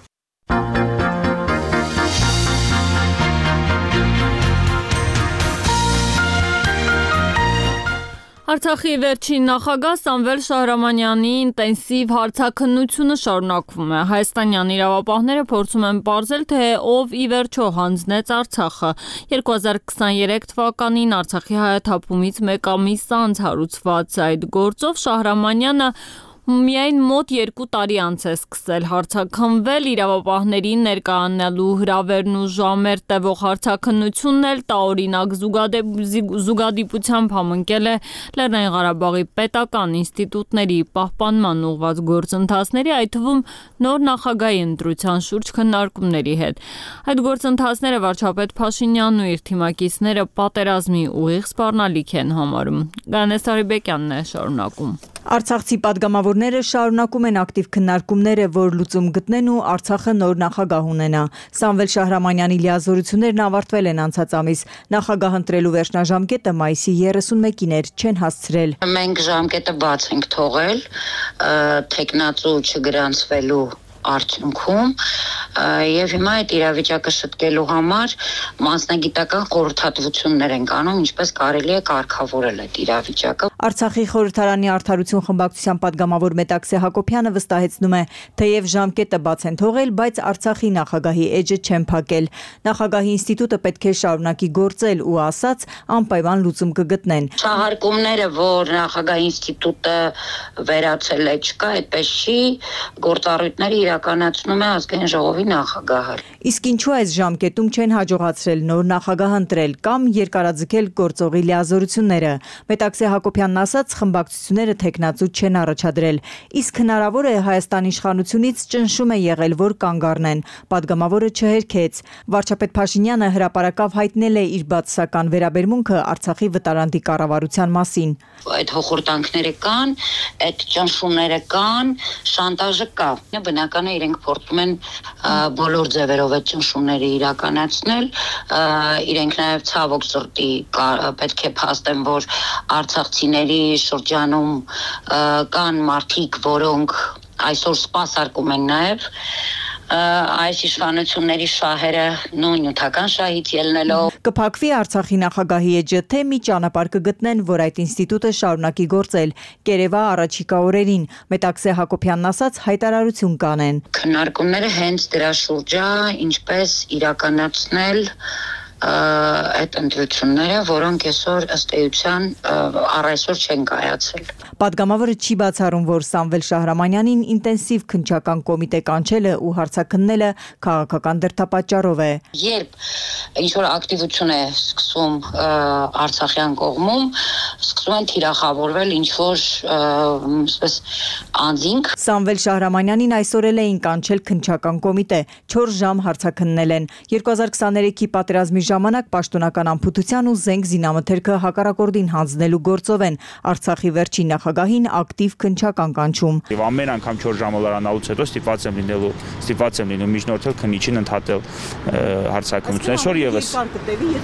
Արցախի վերջին նախագահ Սամվել Շահրամանյանի ինտենսիվ հարցաքննությունը շարունակվում է։ Հայաստանյան իրավապահները փորձում են պարզել, թե ով ի վերջո հանձնեց Արցախը։ 2023 թվականին Արցախի հայաթափումից մեկ ամիս անց հարուցված այդ գործով Շահրամանյանը միայն մոտ 2 տարի անց է սկսել հարցաքննվել, իրավապահներին ներկայանալու հրավերն ու ժամեր տևող հարցաքննությունն էլ տարօրինակ զուգադիպությամբ համընկել է Լեռնային Ղարաբաղի պետական ինստիտուտների պահպանման ուղղված գործընթացների, այդ թվում նոր նախագահի ընտրության շուրջ քննարկումների հետ։ Այդ գործընթացները վարչապետ Փաշինյանն ու իր թիմակիցները պատերազմի ուղիղ սպառնալիք են համարում։ Գանես Արիբեկյանն է շարունակում։ Արցախցի падգամավորները շարունակում են ակտիվ քննարկումները, որ լուծում գտնեն ու Արցախը նոր նախագահ ունենա։ Սամվել Շահրամանյանի լիազորություններն ավարտվել են անցած ամիս։ Նախագահ ընտրելու վերջնաժամկետը մայիսի 31-ին էր, չեն հասցրել։ Մենք ժամկետը բաց ենք թողել, թեկնածու չգրանցվելու արդյունքում եւ հիմա այդ իրավիճակը շտկելու համար մասնագիտական խորհրդատվություններ են անում, ինչպես կարելի է կարգավորել այդ իրավիճակը։ Արցախի խորհրդարանի արդարություն խմբակցության падգամավոր Մետաքսե Հակոբյանը վստահեցնում է, թեև ժամկետը բաց են թողել, բայց Արցախի նախագահի էջը չեն փակել։ Նախագահի ինստիտուտը պետք է շարունակի գործել ու ասաց անպայման լուծում կգտնեն։ Շահարկումները, որ նախագահի ինստիտուտը վերացել է, չկա, այդպես չի, գործառույթները իրականացնում է ազգային ժողովի նախագահը։ Իսկ ինչու այս ժամկետում չեն հաջողացրել նոր նախագահ ընտրել կամ երկարաձգել գործողի լիազորությունները։ Մետաքսե Հակոբյանն ասաց, խմբակցությունները թեկնածու չեն առաջադրել, իսկ հնարավոր է Հայաստան իշխանությունից ճնշում է եղել, որ կանգ առնեն։ Պատգամավորը չհերքեց։ Վարչապետ Փաշինյանը հրապարակավ հայտնել է իր բացասական վերաբերմունքը Արցախի վտարանդի կառավարության մասին։ Այդ հոխորտանքները կան, այդ ճնշումները կան, շանտաժը կա։ Բնական է իրենք փորձում են բոլոր ձևերով այդ ճնշումները իրականացնել, իրենք նաև ցավոք սրտի պետք է փաստեն, որ արցախցիների շրջանում կան մարդիկ, որոնք այսօր սպասարկում են նաև այս իշխանությունների շահերը նույնութական շահից ելնելով։ Կփակվի Արցախի նախագահի էջը, թե մի ճանապարհ կգտնեն, որ այդ ինստիտուտը շարունակի գործել։ Կերևա առաջիկա օրերին, Մետաքսե Հակոբյանն ասաց, հայտարարություն կանեն։ Քննարկումները հենց դրա շուրջ է, ինչպես իրականացնել այդ ընտրությունները, որոնք այսօր ըստ էության առայսօր չեն կայացել։ Պատգամավորը չի բացառում, որ Սամվել Շահրամանյանին ինտենսիվ քննչական կոմիտե կանչելը ու հարցաքննելը քաղաքական դրդապատճառով է։ Երբ ինչ-որ ակտիվություն է սկսում Արցախյան կողմում, սկսում են թիրախավորվել ինչ-որ այսպես անձինք։ Սամվել Շահրամանյանին այսօր էլ էին կանչել քննչական կոմիտե, 4 ժամ հարցաքննել են։ 2023-ի պատերազմի ժամանակ պաշտոնական անփութության ու զենք զինամթերքը հակառակորդին հանձնելու գործով են Արցախի վերջին նախագահին ակտիվ քննչական կանչում։ Եվ ամեն անգամ 4 ժամալարանալուց հետո ստիպված եմ լինելու միջնորդել քննիչին ընդհատել հարցաքննություն։ Այսօր եւս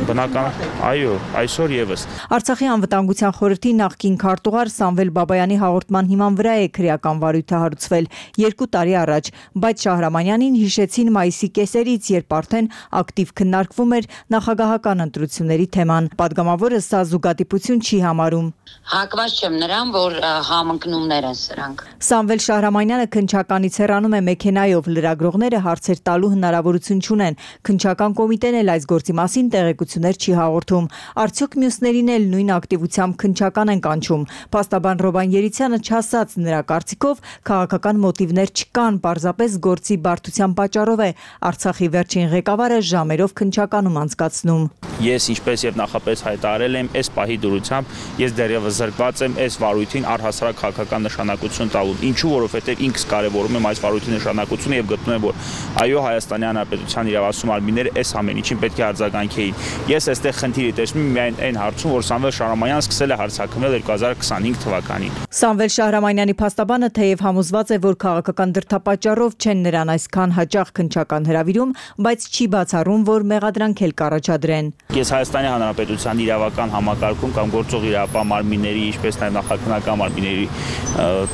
բնական, այո, այսօր եւս։ Արցախի անվտանգության խորհրդի նախկին քարտուղար Սամվել Բաբայանի հաղորդման հիման վրա է քրեական վարույթը հարուցվել 2 տարի առաջ, բայց Շահրամանյանին հիշեցին մայիսի կեսերից, երբ արդեն ակտիվ քննարկվում էր նախագահական ընտրությունների թեման։ Պատգամավորը սա զուգադիպություն չի համարում։ Հակված չեմ նրան, որ համընկնումներ են սրանք։ Սամվել Շահրամանյանը քննչականից հեռանում է մեքենայով, լրագրողները հարցեր տալու հնարավորություն չունեն։ Քննչական կոմիտեն էլ այս գործի մասին տեղեկություններ չի հաղորդում։ Արդյոք մյուսներին էլ նույն ակտիվությամբ քննչական են կանչում։ Փաստաբան Ռոբան Երիցյանը չասաց, նրա կարծիքով քաղաքական մոտիվներ չկան, պարզապես գործի բարդության պատճառով է Արցախի վերջին ղեկավարը ժամերով քննչականում անցկացնում։ Ես ինչպես եւ նախապես հայտարարել եմ, այս պահի դրությամբ ես դեռևս զրկված եմ այս վարույթին առհասարակ քաղաքական նշանակություն տալու։ Ինչու, որովհետեւ ինքս կարևորում եմ այս վարույթի նշանակությունը եւ գտնում եմ, որ այո, Հայաստանի Հանրապետության իրավասու մարմինները այս ամեն ինչին պետք է արձագանքեին։ Ես այստեղ խնդիրի տեսնում եմ միայն այն հարցում, որ Սամվել Շահրամանյանը սկսել է հարցաքննել 2025 թվականին։ Սամվել Շահրամանյանի փաստաբանը թեև համոզված է, որ քաղաքական դրդապատճառով չեն նրան այսքան հաճախ քննչական հրավիրում, բայց չի բացառում, որ մեղադրանք էլ կառաջադրեն։ Ես Հայաստանի Հանրապետության իրավական համակարգում կամ գործող իրավապահ մարմինների, ինչպես նաև նախաքննական մարմինների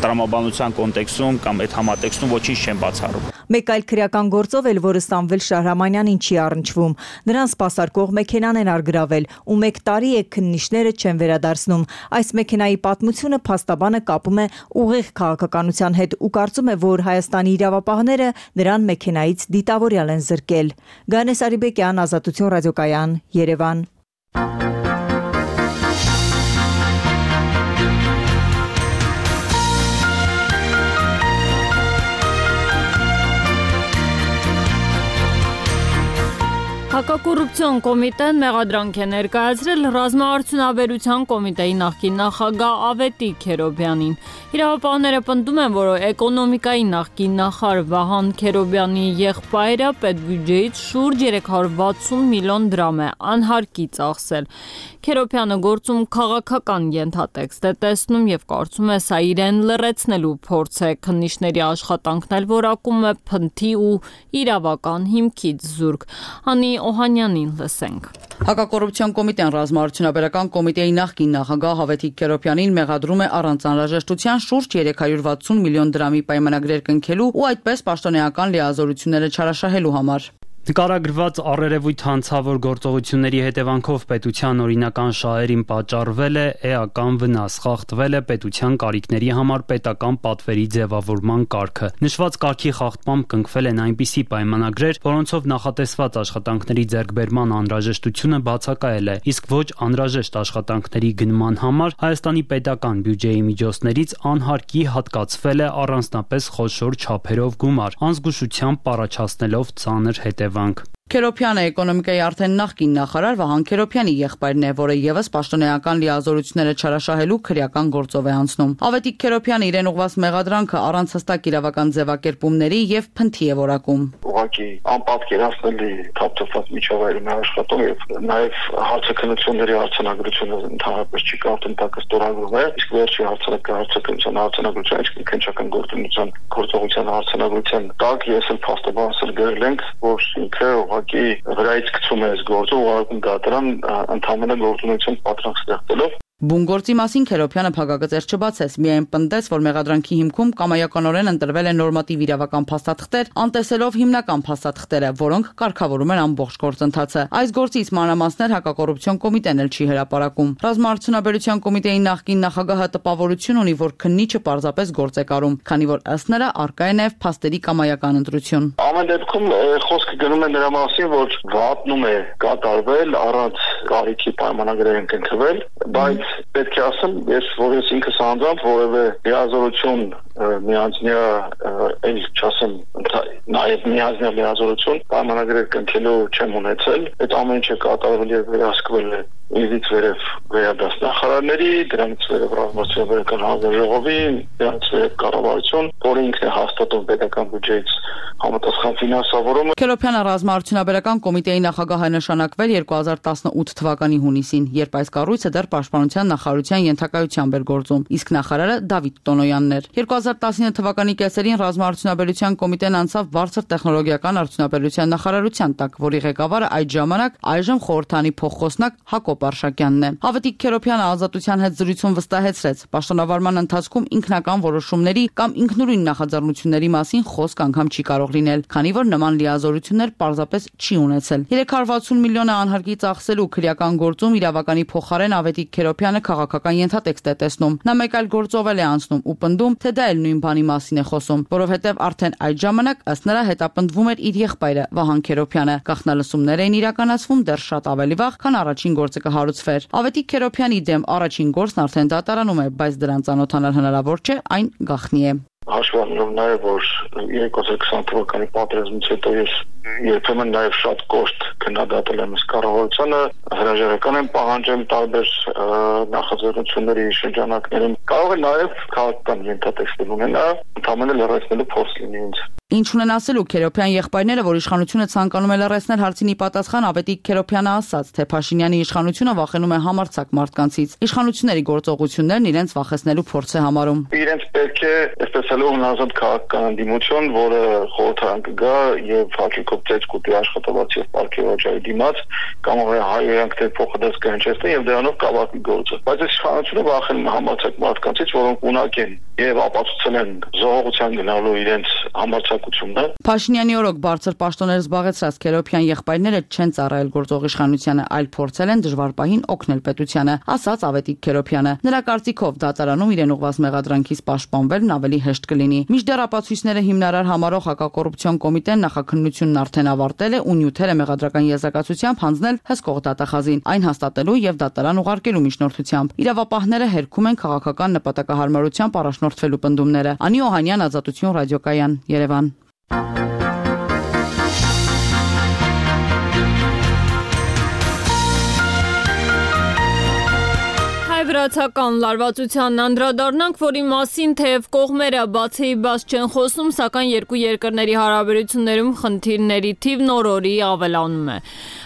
տրամաբանության կոնտեքստում կամ այդ համատեքստում ոչինչ չեն բացառում։ Մեկ այլ քրեական գործով էլ, որը Սամվել Շահրամանյանին չի առնչվում, նրան սպասարկող մեքենան են արգրավել ու 1 տարի է քննիչները չեն վերադարձնում։ Այս մեքենայի պատմությունը փաստաբանը կապում է ուղիղ քաղաքականության հետ ու կարծում է, որ Հայաստանի իրավապահները նրան մեքենայից դիտավորյալ են զրկել։ Գանես Արիբեկյան, Ազատություն ռադիոկայան, Երևան։ Հակակոռուպցիոն կոմիտեն մեղադրանք է ներկայացրել Ռազմաարդյունաբերության կոմիտեի նախկին նախագահ Ավետիք Քերոբյանին։ Իրավապահները պնդում են, որ էկոնոմիկայի նախկին նախարար Վահան Քերոբյանի եղբայրը պետբյուջեից շուրջ 360 միլիոն դրամ է անհարկի ծախսել։ Քերոբյանը գործում քաղաքական ենթատեքստ է տեսնում եւ կարծում է սա իրեն լրացնելու փորձ է։ Քննիչների աշխատանքն էլ որակում է փնթի ու իրավական հիմքից զուրկ։ Հանի Օհանյանին լսենք։ Հակակոռուպցիոն կոմիտեն Ռազմաարդյունաբերական կոմիտեի նախկին նախագահ Ավետիք Քերոբյանին մեղադրում է առանց անհրաժեշտության շուրջ 360 միլիոն դրամի պայմանագրեր կնքելու ու այդպես պաշտոնեական լիազորությունները չարաշահելու համար։ Նկարագրված առերևույթ հանցավոր գործողությունների հետևանքով պետության օրինական շահերին պատճառվել է էական վնաս, խախտվել է պետության կարիքների համար պետական պատվերի ձևավորման կարգը։ Նշված կարգի խախտմամբ կնքվել են այնպիսի պայմանագրեր, որոնցով նախատեսված աշխատանքների ձեռքբերման անհրաժեշտությունը բացակայել է, իսկ ոչ անհրաժեշտ աշխատանքների գնման համար Հայաստանի պետական բյուջեի միջոցներից անհարկի հատկացվել է առանձնապես խոշոր չափերով գումար, անզգուշությամբ առաջացնելով ծանր հետևանք։ Քերոբյանը էկոնոմիկայի արդեն նախկին նախարար Վահան Քերոբյանի եղբայրն է, որը եւս պաշտոնեական լիազորությունները չարաշահելու քրեական գործով է անցնում։ Ավետիք Քերոբյանը իրեն ուղղված մեղադրանքը առանց հստակ իրավական ձևակերպումների եւ փնթի է որակում։ Ուղղակի անպատկերացնելի թափթփված միջավայրում է աշխատում եւ նաեւ հարցաքննությունների արձանագրությունը ընդհանրապես չի կարդընտակը ստորագրում է, իսկ վերջի հարցաքննության արձանագրությունը իսկ քննչական գործողության արձանագրության տակ ես էլ փաստաբանել գրել ենք, որ ինքը ուղղակի վրայից գցում է այս գործը, ուղղակի դատարան ընդհանրապես գործունեություն պատրանք ստեղծելով։ Բուն գործի մասին Քերոբյանը փակագծեր չբացեց, միայն պնդեց, որ մեղադրանքի հիմքում կամայականորեն ընտրվել են նորմատիվ իրավական փաստաթղթեր, անտեսելով հիմնական փաստաթղթերը, որոնք կարգավորում են ամբողջ գործընթացը։ Այս գործից մանրամասներ հակակոռուպցիոն կոմիտեն էլ չի հրապարակում։ Ռազմաարդյունաբերության կոմիտեի նախկին նախագահը տպավորություն ունի, որ քննիչը պարզապես գործ է կարում, քանի որ ըստ նրա առկա է նաև փաստերի կամայական ընտրություն։ Ամեն դեպքում խոսքը գնում է նրա մասին, որ վատնում է կատարվել առանց կարիքի պայմանագրեր են կնքվել, բայց պետք է ասեմ, ես որպես ինքս անձամբ որևէ լիազորություն միանձնյա էլ չասեմ նաև միանձնյա լիազորություն պայմանագրեր կնքելու չեմ ունեցել, այդ ամեն ինչը կատարվել եւ վերահսկվել է ինձից վերև վերադաս նախարարների, դրանից վերև ռազմաարդյունաբերական հանձնաժողովի, դրանից վերև կառավարություն, որը ինքն է հաստատում պետական բյուջեից համապատասխան ֆինանսավորումը։ Քերոբյանը ռազմաարդյունաբերական կոմիտեի նախագահ է նշանակվել 2018 թվականի հունիսին, երբ այս կառույցը դեռ պաշտպանության նախարարության ենթակայությամբ էր գործում, իսկ նախարարը Դավիթ Տոնոյանն էր։ 2019 թվականի կեսերին ռազմաարդյունաբերության կոմիտեն անցավ բարձր տեխնոլոգիական արդյունաբերության նախարարության տակ, որի ղեկավարը այդ ժամանակ այժմ խորհրդանի փոխխոսնակ Հակոբ Արշակյանն է։ Ավետիք Քերոբյանը Ազատության հետ զրույցում վստահեցրեց, պաշտոնավարման ընթացքում ինքնական որոշումների կամ ինքնուրույն նախաձեռնությունների մասին խոսք անգամ չի կարող լինել, քանի որ նման լիազորություններ պարզապես չի ունեցել։ 360 միլիոնը անհարկի ծախսելու քրեական գործում իրավականի փոխարեն Ավետիք Քերոբյանը քաղաքական ենթատեքստ է տեսնում։ Նա մեկ այլ գործով է անցնում ու պնդում, թե դա էլ նույն բանի մասին է խոսում, որովհետև արդեն այդ ժամանակ ըստ նրա հետապնդվում էր իր եղբայրը Վահան Քերոբյանը։ Գաղտնալսումներ էին իրականացվում դեռ շատ ավելի վաղ, քան առաջին գործը կհարուցվեր։ Ավետիք Քերոբյանի դեմ առաջին գործն արդեն դատարանում է, բայց դրան ծանոթանալ հնարավոր չէ, այն գաղտնի է։ Հաշվառելով նաև, որ 2020 թվականի պատերազմից հետո ես երբեմն նաև շատ կոշտ քննադատել եմ կառավարությանը, հրաժարական եմ պահանջել տարբեր նախաձեռնությունների շրջանակներում Կարող է նաև քաղաքական ենթատեքստեր ունենա, ընդհանրապես լրացնելու փորձ լինի ինձ։ Ինչ ունեն ասելու Քերոփյան եղբայրները, որ իշխանությունը ցանկանում է լրացնել հարցին ի պատասխան Ավետիք Քերոփյանը ասաց, թե Փաշինյանի իշխանությունը վախենում է համարձակ մարդկանցից։ Իշխանությունների գործողություններն իրենց վախեցնելու փորձ է համարում։ Իրենց պետք է այսպես ասելով հնազանդ քաղաքական ընդդիմություն, որը խորհրդարան կգա եւ հաճույքով ծեծ կուտի աշխատավարձ եւ պարգևաճարի դիմաց, կամ հայերենք թե փոխադարձ կհնչեցնեն եւ դրանով կավարտի գործը։ Բայց այս իշխանությունը վախենում է համարձակ մարդկանցից, որոնք ունակ են եւ ապացուցել են զոհողության գնալու իրենց համարձակությունը։ Փաշինյանի օրոք բարձր պաշտոններ զբաղեցրած Քերոփյան եղբայրները չեն ծառայել գործող իշխանությանը, այլ փորձել են դժվար պահին օգնել պետությանը, ասաց Ավետիք Քերոփյանը։ Նրա կարծիքով դատարանում իրեն ուղղված մեղադրանքից պաշտպանվելն ավելի հեշտ կլինի։ Մինչդեռ ապացույցները հիմնարար համարող հակակոռուպցիոն կոմիտեն նախաքննությունն արդեն ավարտել է ու նյութեր է մեղադրական եզրակացությամբ հանձնել հսկող դատախազին, այն հաստատելու եւ դատարան ուղարկելու միջնորդությամբ։ Իրավապահները հերքում են քաղաքական նպատակահարմարությամբ առաջնորդվելու պնդումները։ Անի Օհանյան, Ազատություն ռադիոկայան, Երևան։ Վրացական լարվածությանն անդրադառնանք, որի մասին թեև կողմերը բացի բաց չեն խոսում, սակայն երկու երկրների հարաբերություններում խնդիրների թիվն օր-օրի ավելանում է։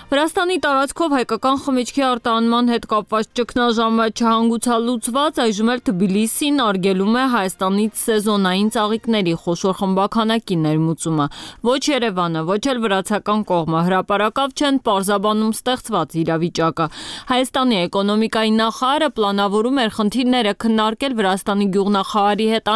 Վրաստանի տարածքով հայկական խմիչքի արտահանման հետ կապված ճգնաժամը չհանգուցալուծված, այժմ էլ Թբիլիսին արգելում է Հայաստանից սեզոնային ծաղիկների խոշոր խմբաքանակի ներմուծումը։ Ոչ Երևանը, ոչ էլ վրացական կողմը հրապարակավ չեն պարզաբանում ստեղծված իրավիճակը։ Հայաստանի էկոնոմիկայի նախարարը պլանավորում էր խնդիրները քննարկել Վրաստանի գյուղնախարարի հետ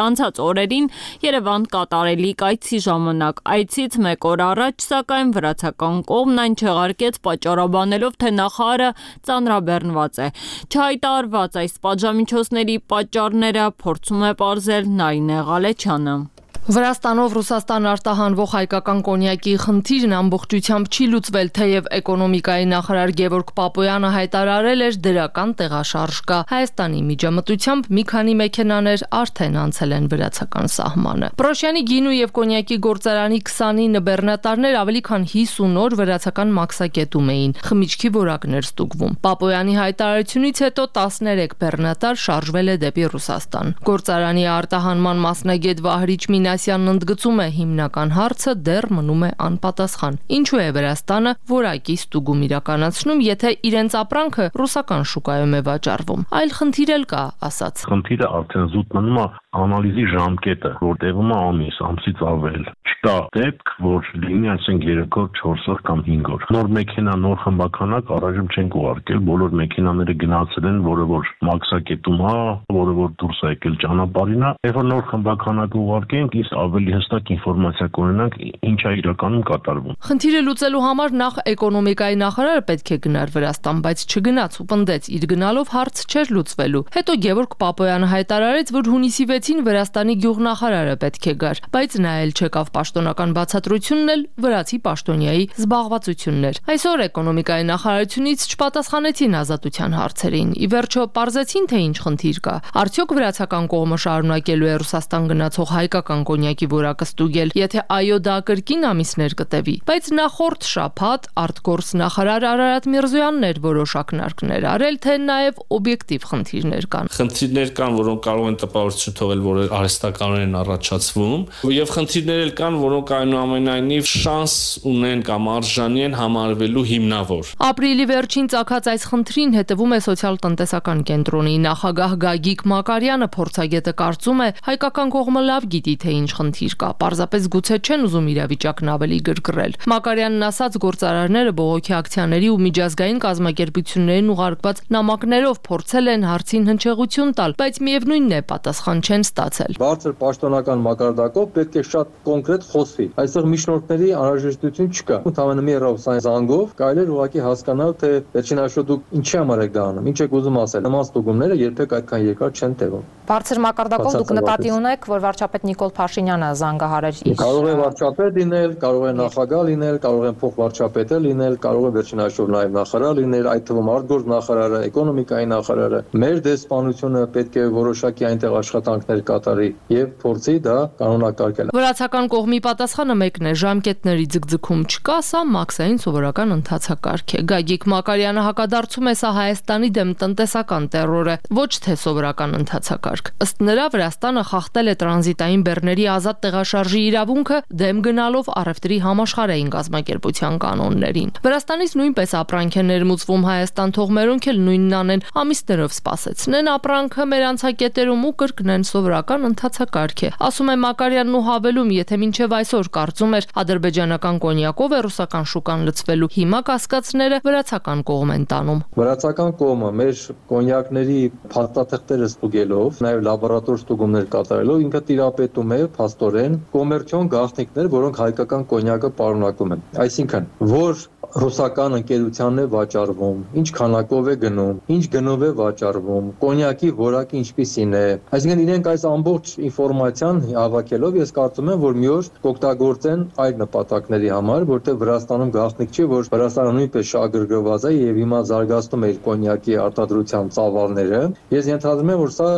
անցած օրերին Երևան կատարելիք այցի ժամանակ։ Այցից մեկ օր առաջ, սակայն վրացական կողմն այն չեղարկեց, պատճառաբանելով, թե նախարարը ծանրաբեռնված է։ Չհայտարարված այս պատժամիջոցների պատճառները փորձում է պարզել Նարինե Ղալեչյանը։ Վրաստանով Ռուսաստան արտահանվող հայկական կոնյակի խնդիրն ամբողջությամբ չի լուծվել, թեև էկոնոմիկայի նախարար Գևորգ Պապոյանը հայտարարել էր դրական տեղաշարժ կա։ Հայաստանի միջամտությամբ մի քանի մեքենաներ արդեն անցել են վրացական սահմանը։ Պրոշյանի գինու եւ կոնյակի գործարանի 29 բեռնատարներ ավելի քան 50 օր վրացական մաքսակետում էին։ Խմիչքի որակներ ստուգվում։ Պապոյանի հայտարարությունից հետո 13 բեռնատար շարժվել է դեպի Ռուսաստան։ Գործարանի արտահանման մասնագետ Վահրիչ Մինասյանն ընդգծում է, հիմնական հարցը դեռ մնում է անպատասխան։ Ինչու է Վրաստանը որակի ստուգում իրականացնում, եթե իրենց ապրանքը ռուսական շուկայում է վաճառվում։ Այլ խնդիր էլ կա, ասաց։ Խնդիրը արդեն զուտ մնում է անալիզի ժամկետը, որ տևում է ամսից ավել։ Չկա դեպք, որ լինի այսինքն 3 օր, 4 օր կամ 5 օր։ Նոր մեքենա, նոր խմբականակ առայժմ չենք ուղարկել, բոլոր մեքենաները գնացել են, որը որ մաքսակետում է, որը որ դուրս է եկել ճանապարհին է։ Երբ որ նոր խմբականակ ուղարկենք, իսկ ավելի հստակ ինֆորմացիա կունենանք, ինչ է իրականում կատարվում։ Խնդիրը լուծելու համար նախ էկոնոմիկայի նախարարը պետք է գնար Վրաստան, բայց չգնաց ու պնդեց, իր գնալով հարց չէր լուծվելու։ Հետո Գևորգ Պապոյանը հայտարարեց, որ հունիսի 6-ին Վրաստանի գյուղնախարարը պետք է գար, բայց նա էլ չեկավ, պաշտոնական բացատրությունն էլ վրացի պաշտոնյայի զբաղվածությունն էր։ Այսօր էկոնոմիկայի նախարարությունից չպատասխանեցին ազատության հարցերին։ Ի վերջո պարզեցին, թե ինչ խնդիր կա։ Արդյոք վրացական կողմը շարունակելու է Ռուսաստան գնացող հայկական կոնյակի որակը ստուգել, եթե այո, դա կրկին ամիսներ կտևի։ Բայց նախորդ շաբաթ արտգործ նախարար Արարատ Միրզոյանն էր որոշ ակնարկներ արել, թե նաև օբյեկտիվ խնդիրներ կան։ Խնդիրներ կան, որոնք կարող են տպավորություն թողել, որ արհեստականորեն են առաջացվում, եւ խնդիրներ էլ կան, որոնք այնուամենայնիվ շանս ունեն կամ արժանի են համարվելու հիմնավոր։ Ապրիլի վերջին ծագած այս խնդրին հետևում է սոցիալ-տնտեսական կենտրոնի նախագահ Գագիկ Մակարյանը, փորձագետը կարծում է, հայկական կողմը լավ գիտի, թե ինչ խնդիր կա, պարզապես գուցե չեն ուզում իրավիճակն ավելի գրգռել։ Մակարյանն ասաց, գործարարները բողոքի ակցիաների ու միջազգային կազմակերպություններին ուղարկված նամակներով փորձել են հարցին հնչեղություն տալ, բայց միևնույնն է, պատասխան չեն ստացել։ Բարձր պաշտոնական մակարդակով պետք է շատ կոնկրետ խոսվի։ Այստեղ միջնորդների անհրաժեշտություն չկա։ Ընդհանրապես մի ռոպսային զանգով կարելի է ուղղակի հասկանալ, թե վերջին հաշվով դուք ինչի համար եք դա անում, ինչ եք ուզում ասել։ Նման ստուգումները երբեք այդքան երկար չեն տևում։ Բարձր մակարդակով դուք նկատի ունեք, որ վարչապետ Նիկոլ Փաշինյանը զանգահարեր իր կարող է վարչապետ լինել, կարող է նախագահ լինել, կարող են փոխվարչապետը լինել, կարող է վերջին հաշվով նաև նախարար լինել, այդ թվում արտգործ նախարարը, էկոնոմիկայի նախարարը։ Մեր դեսպանությունը պետք է որոշակի այնտեղ աշխատանքներ կատարի եւ փորձի դա կանոնակարգել։ Վրացական կողմի պատասխանը մեկն է՝ ժամկետների ձգձգում չկա, սա մաքսային սովորական ընթացակարգ է։ Գագիկ Մակարյանը հակադարձում է, սա Հայաստանի դեմ տնտեսական տերոր է, ոչ թե սովորական ընթացակարգ։ Ըստ նրա Վրաստանը խախտել է տրանզիտային բեռների ազատ տեղաշարժի իրավունքը, դեմ գնալով առևտրի համաշխարհային կազմակերպության կանոններին։ Վրաստանից նույնպես ապրանք է ներմուծվում Հայաստան, թող մերոնք էլ նույնն անեն, ամիսներով սպասեցնեն ապրանքը մեր անցակետերում ու կրկնեն սովորական ընթացակարգ է։ Ասում է Մակարյանն ու հավելում, եթե մինչև այսօր կարծում էր ադրբեջանական կոնյակով է ռուսական շուկան լցվելու, հիմա կասկածները վրացական կողմ են տանում։ Վրացական կողմը մեր կոնյակների փաստաթղթերը ստուգելով, նաև լաբորատոր ստուգումներ կատարելով ինքը տիրապետում է փաստորեն կոմերցիոն գաղտնիքներ, որոնք հայկական կոնյակը պարունակում են։ Այսինքն, որ ռուսական ընկերությանն է վաճառվում, ինչ քանակով է գնում, ինչ գնով է վաճառվում, կոնյակի որակը ինչպիսին է։ Այսինքն իրենք այս ամբողջ ինֆորմացիան հավաքելով ես կարծում եմ, որ մի օր կօգտագործեն այլ նպատակների համար, որտեղ Վրաստանում գաղտնիք չի, որ Վրաստանը նույնպես շահագրգռված է եւ հիմա զարգացնում է իր կոնյակի արտադրության ծավալները։ Ես ենթադրում եմ, որ սա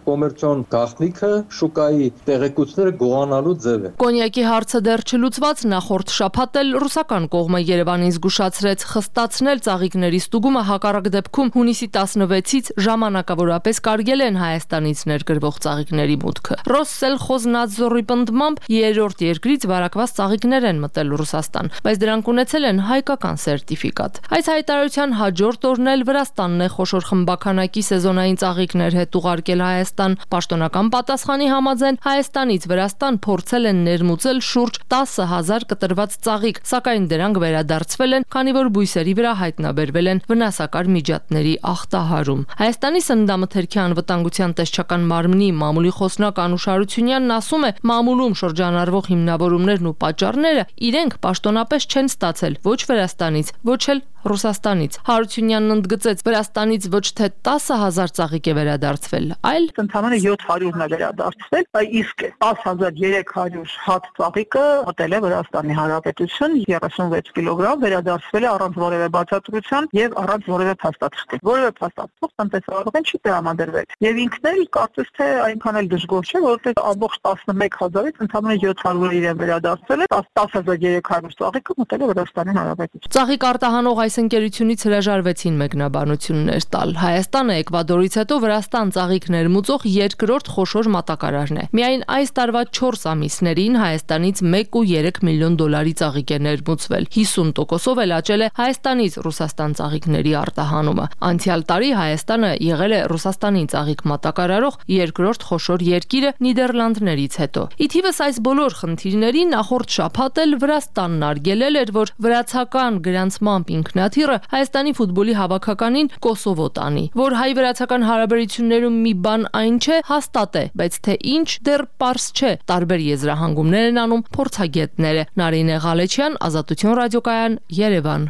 կոմերցիոն գաղտնիքը շուկայի տեղեկությունները գողանալու ձև է։ Կոնյակի հարցը դեռ չլուծված, նախորդ շաբաթ էլ ռուսական կողմը Երևանին զգուշացրեց խստացնել ծաղիկների ստուգումը, հակառակ դեպքում հունիսի 16-ից ժամանակավորապես կարգել են Հայաստանից ներգրվող ծաղիկների մուտքը։ Ռոսսելխոզնադզորի պնդմամբ երրորդ երկրից վարակված ծաղիկներ են մտել Ռուսաստան, բայց դրանք ունեցել են հայկական սերտիֆիկատ։ Այս հայտարարության հաջորդ օրն էլ Վրաստանն է խոշոր խմբականակի սեզոնային ծաղիկներ հետ ուղարկել Հայաստան։ Պաշտոնական պատասխանի համաձայն Հայաստանից Վրաստան փորձել են ներմուծել շուրջ 10,000 կտրված ծաղիկ, սակայն դրանք վերադարձվել են, քանի որ բույսերի վրա հայտնաբերվել են վնասակար միջատների ախտահարում։ Հայաստանի սննդամթերքի անվտանգության տեսչական մարմնի մամուլի խոսնակ Անուշ Հարությունյանն ասում է, մամուլում շրջանառվող հիմնավորումներն ու պատճառները իրենք պաշտոնապես չեն ստացել ոչ Վրաստանից, ոչ էլ Ռուսաստանից։ Հարությունյանն ընդգծեց, Վրաստանից ոչ թե 10,000 ծաղիկ է վերադարձվել, այլ ընդամենը 700-ն է վերադարձվել, իսկ 10,300 հատ ծաղիկը մտել է Վրաստանի Հանրապետություն, 36 կիլոգրամ վերադարձվել է առանց որևէ բացատրության եւ առանց որևէ փաստաթղթի։ Որևէ փաստաթղթ տնտեսավարողին չի տրամադրվել։ Եվ ինքն էլ կարծես թե այնքան էլ դժգոհ չէ, որովհետեւ ամբողջ 11,000-ից ընդամենը 700 իրեն վերադարձել է, 10,300 ծաղիկը մտել է Վրաստանի Հանրապետություն։ Ծաղիկ արտահանող այս ընկերությունից հրաժարվեցին մեկնաբանություններ տալ։ Հայաստանը Էկվադորից հետո Վրաստան ծաղիկ ներմուծող երկրորդ խոշոր մատակարարն է։ Միայն այս տարվա 4 ամիսներին Հայաստանից 1.3 միլիոն դոլարի ծաղիկ է ներմուծվել։ 50%-ով էլ աճել է Հայաստանից Ռուսաստան ծաղիկների արտահանումը։ Անցյալ տարի Հայաստանը եղել է Ռուսաստանին ծաղիկ մատակարարող երկրորդ խոշոր երկիրը Նիդերլանդներից հետո։ Ի թիվս այս բոլոր խնդիրների նախորդ շաբաթ էլ Վրաստանն արգելել էր, որ վրացական գրանցմամբ ինքնաթիռը Հայաստանի ֆուտբոլի հավաքականին Կոսովո տանի, որ հայ-վրացական հարաբերություններում մի բան այն չէ, հաստատ է, բայց թե ինչ դեռ պարզ չէ։ Տարբեր եզրահանգումներ են անում փորձագետները։ Նարինե Ղալեչյան, Ազատություն ռադիոկայան, Երևան։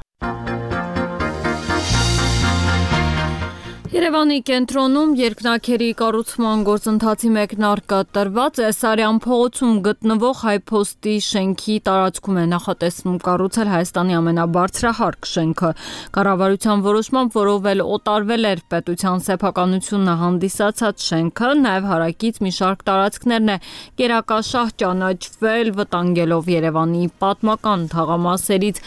Երևանի կենտրոնում երկնաքերի կառուցման գործընթացի մեկնարկը տրված է Սարյան փողոցում գտնվող հայփոստի շենքի տարածքում է նախատեսվում կառուցել Հայաստանի ամենաբարձրահարկ շենքը։ Կառավարության որոշմամբ, որով էլ օտարվել էր պետության սեփականությունը հանդիսացած շենքը, նաև հարակից մի շարք տարածքներն է կերակաշահ ճանաչվել, վտանգելով Երևանի պատմական թաղամասերից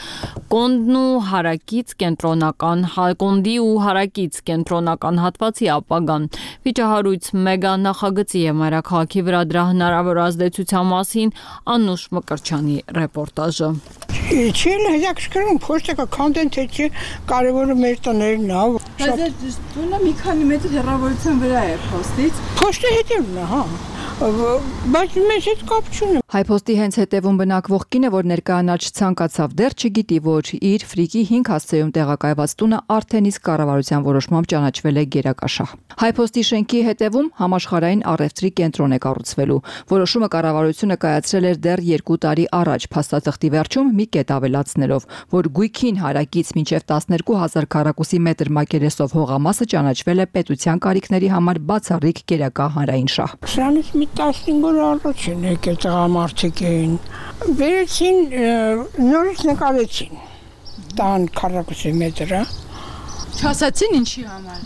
Կոնդի ու հարակից կենտրոնական հատվածի ապագան։ Վիճահարույց մեգա նախագծի եւ մայրաքաղաքի վրա դրա հնարավոր ազդեցության մասին Անուշ Մկրչյանի ռեպորտաժը։ Չեն հետաքրքրում փոստը կոնտենտը չի, կարևորը մեր տներն է։ Բայց տունը մի քանի մետր հեռավորության վրա է փոստից։ Փոստը հետևն է, հա։ Բայց մեզ հետ կապ չունի։ Հայփոստի հենց հետևում բնակվող կինը, որ ներկայանալ չցանկացավ, դեռ չգիտի, որ իր ֆրիկի 5 հասցեում տեղակայված տունը արդեն իսկ կառավարության որոշմամբ ճանաչվել է գերակաշահ։ Հայփոստի շենքի հետևում համաշխարհային առևտրի կենտրոն է կառուցվելու։ Որոշումը կառավարությունը կայացրել էր դեռ 2 տարի առաջ, փաստաթղթի վերջում մի կետ ավելացնելով, որ գույքին հարակից մինչև 12000 քառակուսի մետր մակերեսով հողամասը ճանաչվել է պետության կարիքների համար բացառիկ գերակա հանրային շահ։ Սրանից մի 15 օր առաջ են եկել տղամարդիկ էին։ Վերեցին, նորից նկարեցին տան քառակուսի մետրը։ Չասացին ինչի համար։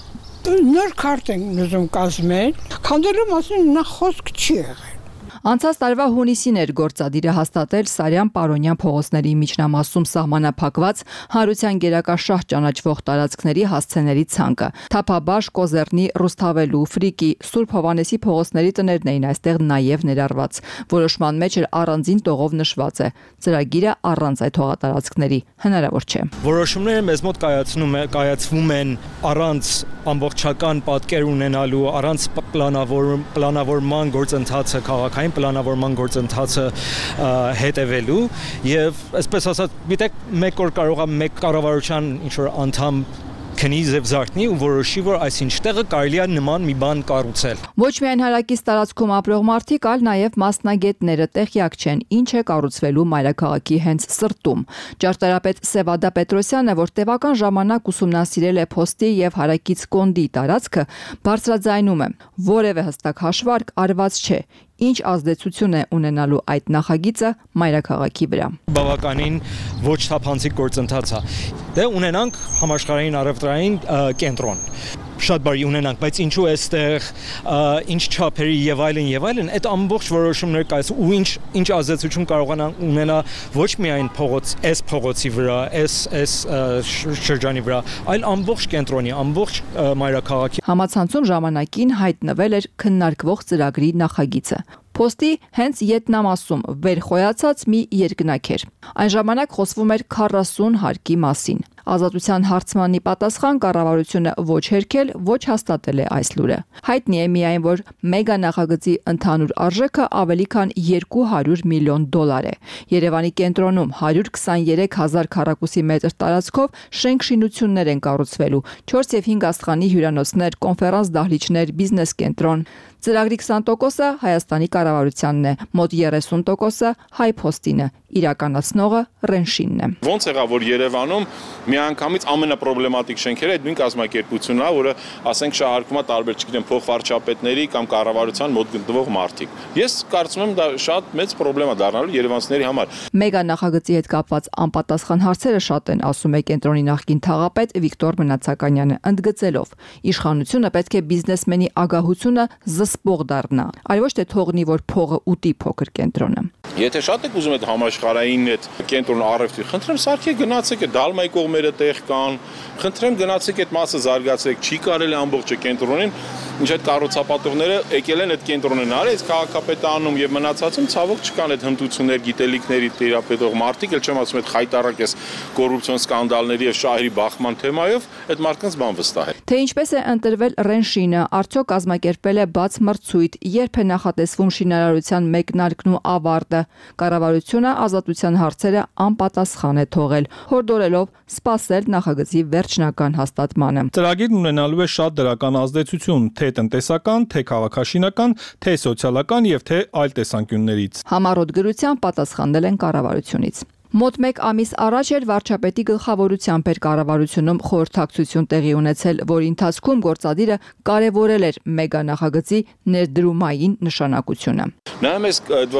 Նոր քարտ են ուզում կազմել, քանդելու մասին նա խոսք չի եղել։ Անցած տարվա հունիսին էր գործադիրը հաստատել Սարյան-Պարոնյան փողոցների միջնամասում սահմանափակված հանրության գերակաշահ ճանաչվող տարածքների հասցեների ցանկը։ Թափաբաշ, Կոզեռնի, Ռուսթավելու, Ֆրիկի, Սուրբ Հովանեսի փողոցների տներն էին այստեղ նաև ներառված։ Որոշման մեջ էր առանձին տողով նշված է. ծրագիրը առանց այդ հողատարածքների հնարավոր չէ։ Որոշումները մեզ մոտ կայացվում են առանց ամբողջական պատկեր ունենալու, առանց պլանավորման գործընթացը քաղաքային պլանավորման գործընթացը հետևելու եւ այսպես ասած գիտեք մեկ օր կարող է մեկ կառավարության ինչ որ անդամ քնի եւ զարթնի ու որոշի որ այսինչ տեղը կարելի է նման մի բան կառուցել։ Ոչ միայն հարակից տարածքում ապրող մարդիկ, այլ նաև մասնագետները տեղյակ չեն ինչ է կառուցվելու մայրաքաղաքի հենց սրտում։ Ճարտարապետ Սևադա Պետրոսյանը, որ տևական ժամանակ ուսումնասիրել է Փոստի եւ հարակից Կոնդի տարածքը, բարձրաձայնում է. որևէ հստակ հաշվարկ արված չէ։ Ինչ ազդեցություն է ունենալու այդ նախագիծը մայրաքաղաքի վրա։ Բավականին ոչ թափանցիկ գործընթաց է։ Դե ունենանք համաշխարհային առևտրային կենտրոն։ Շատ բարի ունենանք, բայց ինչու էստեղ ինչ չափերի եւ այլն, այդ ամբողջ որոշումները կայաց ու ինչ ազդեցություն կարողանան ունենա ոչ միայն փողոցի վրա, այս շրջանի վրա, այլ ամբողջ կենտրոնի, ամբողջ մայրաքաղաքի։ Համացանցում ժամանակին հայտնվել էր քննարկվող ծրագրի նախագիծը։ Փոստի հենց յետնամասում վերխոյացած մի երկնակ էր։ Այն ժամանակ խոսվում էր 40 հարկի մասին։ Ազատության հարցմանի պատասխան կառավարությունը ոչ հերքել, ոչ հաստատել է այս լուրը։ Հայտնի է միայն, որ մեգա նախագծի ընդհանուր արժեքը ավելի քան $200 միլիոն է։ Երևանի կենտրոնում 123,000 քառակուսի մետր տարածքով շենք-շինություններ են կառուցվելու, 4 եւ 5 աստղանի հյուրանոցներ, կոնֆերանս դահլիճներ, բիզնես կենտրոն։ Ծրագրի 20%-ը Հայաստանի կառավարությանն է, մոտ 30%-ը Հայփոստինը, իրականացնողը Ռենշինն է։ Ոնց եղավ, որ Երևանում միանգամից ամենապրոբլեմատիկ շենքերը այդ նույն կազմակերպությունն է, որը ասենք շահարկվում է տարբեր, չգիտեմ, փոխվարչապետների կամ կառավարության մոտ գտնվող մարդիկ։ Ես կարծում եմ դա շատ մեծ պրոբլեմ է դառնալու երևանցիների համար։ Մեգա նախագծի հետ կապված անպատասխան հարցերը շատ են, ասում է կենտրոնի նախկին թաղապետ Վիկտոր Մնացականյանը, ընդգծելով. իշխանությունը պետք է բիզնեսմենի ագահությունը զսպող դառնա, այլ ոչ թե թողնի, որ փողը ուտի փոքր կենտրոնը։ Եթե շատ եք ուզում այդ համաշխարհային այդ կենտրոն առևտրի, խնդրեմ սարքեք գնացեք այդ Դալմայի կողմերը տեղ կան, խնդրեմ գնացեք այդ մասը զարգացեք, չի կարելի ամբողջը կենտրոնին, ինչ այդ կառուցապատողները եկել են այդ կենտրոնն արել, քաղաքապետը անում եւ մնացածում ցավոք չկան այդ հմտություններ, գիտելիքների տիրապետող մարդիկ, էլ չեմ ասում այդ խայտարակ էս կոռուպցիոն սկանդալների եւ շահերի բախման թեմայով, այդ մարդկանց բան վստահել։ Թե ինչպես է ընտրվել Ռենշինը, արդյոք կազմակերպել է բաց մրցույթ, երբ է նախատեսվում շինարարության մեկնարկն ու ավարտը։ Կառավարությունը ազատության հարցերը անպատասխան է թողել, հորդորելով սպասել նախագծի վերջնական հաստատմանը։ Ծրագիրն ունենալու է շատ դրական ազդեցություն, թե տնտեսական, թե քաղաքաշինական, թե սոցիալական եւ թե այլ տեսանկյուններից։ Համառոտ գրությամբ պատասխանել են կառավարությունից։ Մոտ 1 ամիս առաջ էր վարչապետի գլխավորությամբ էր կառավարությունում խորհրդակցություն տեղի ունեցել, որի ընթացքում գործադիրը կարևորել էր մեգա նախագծի ներդրումային նշանակությունը։ Նայում ես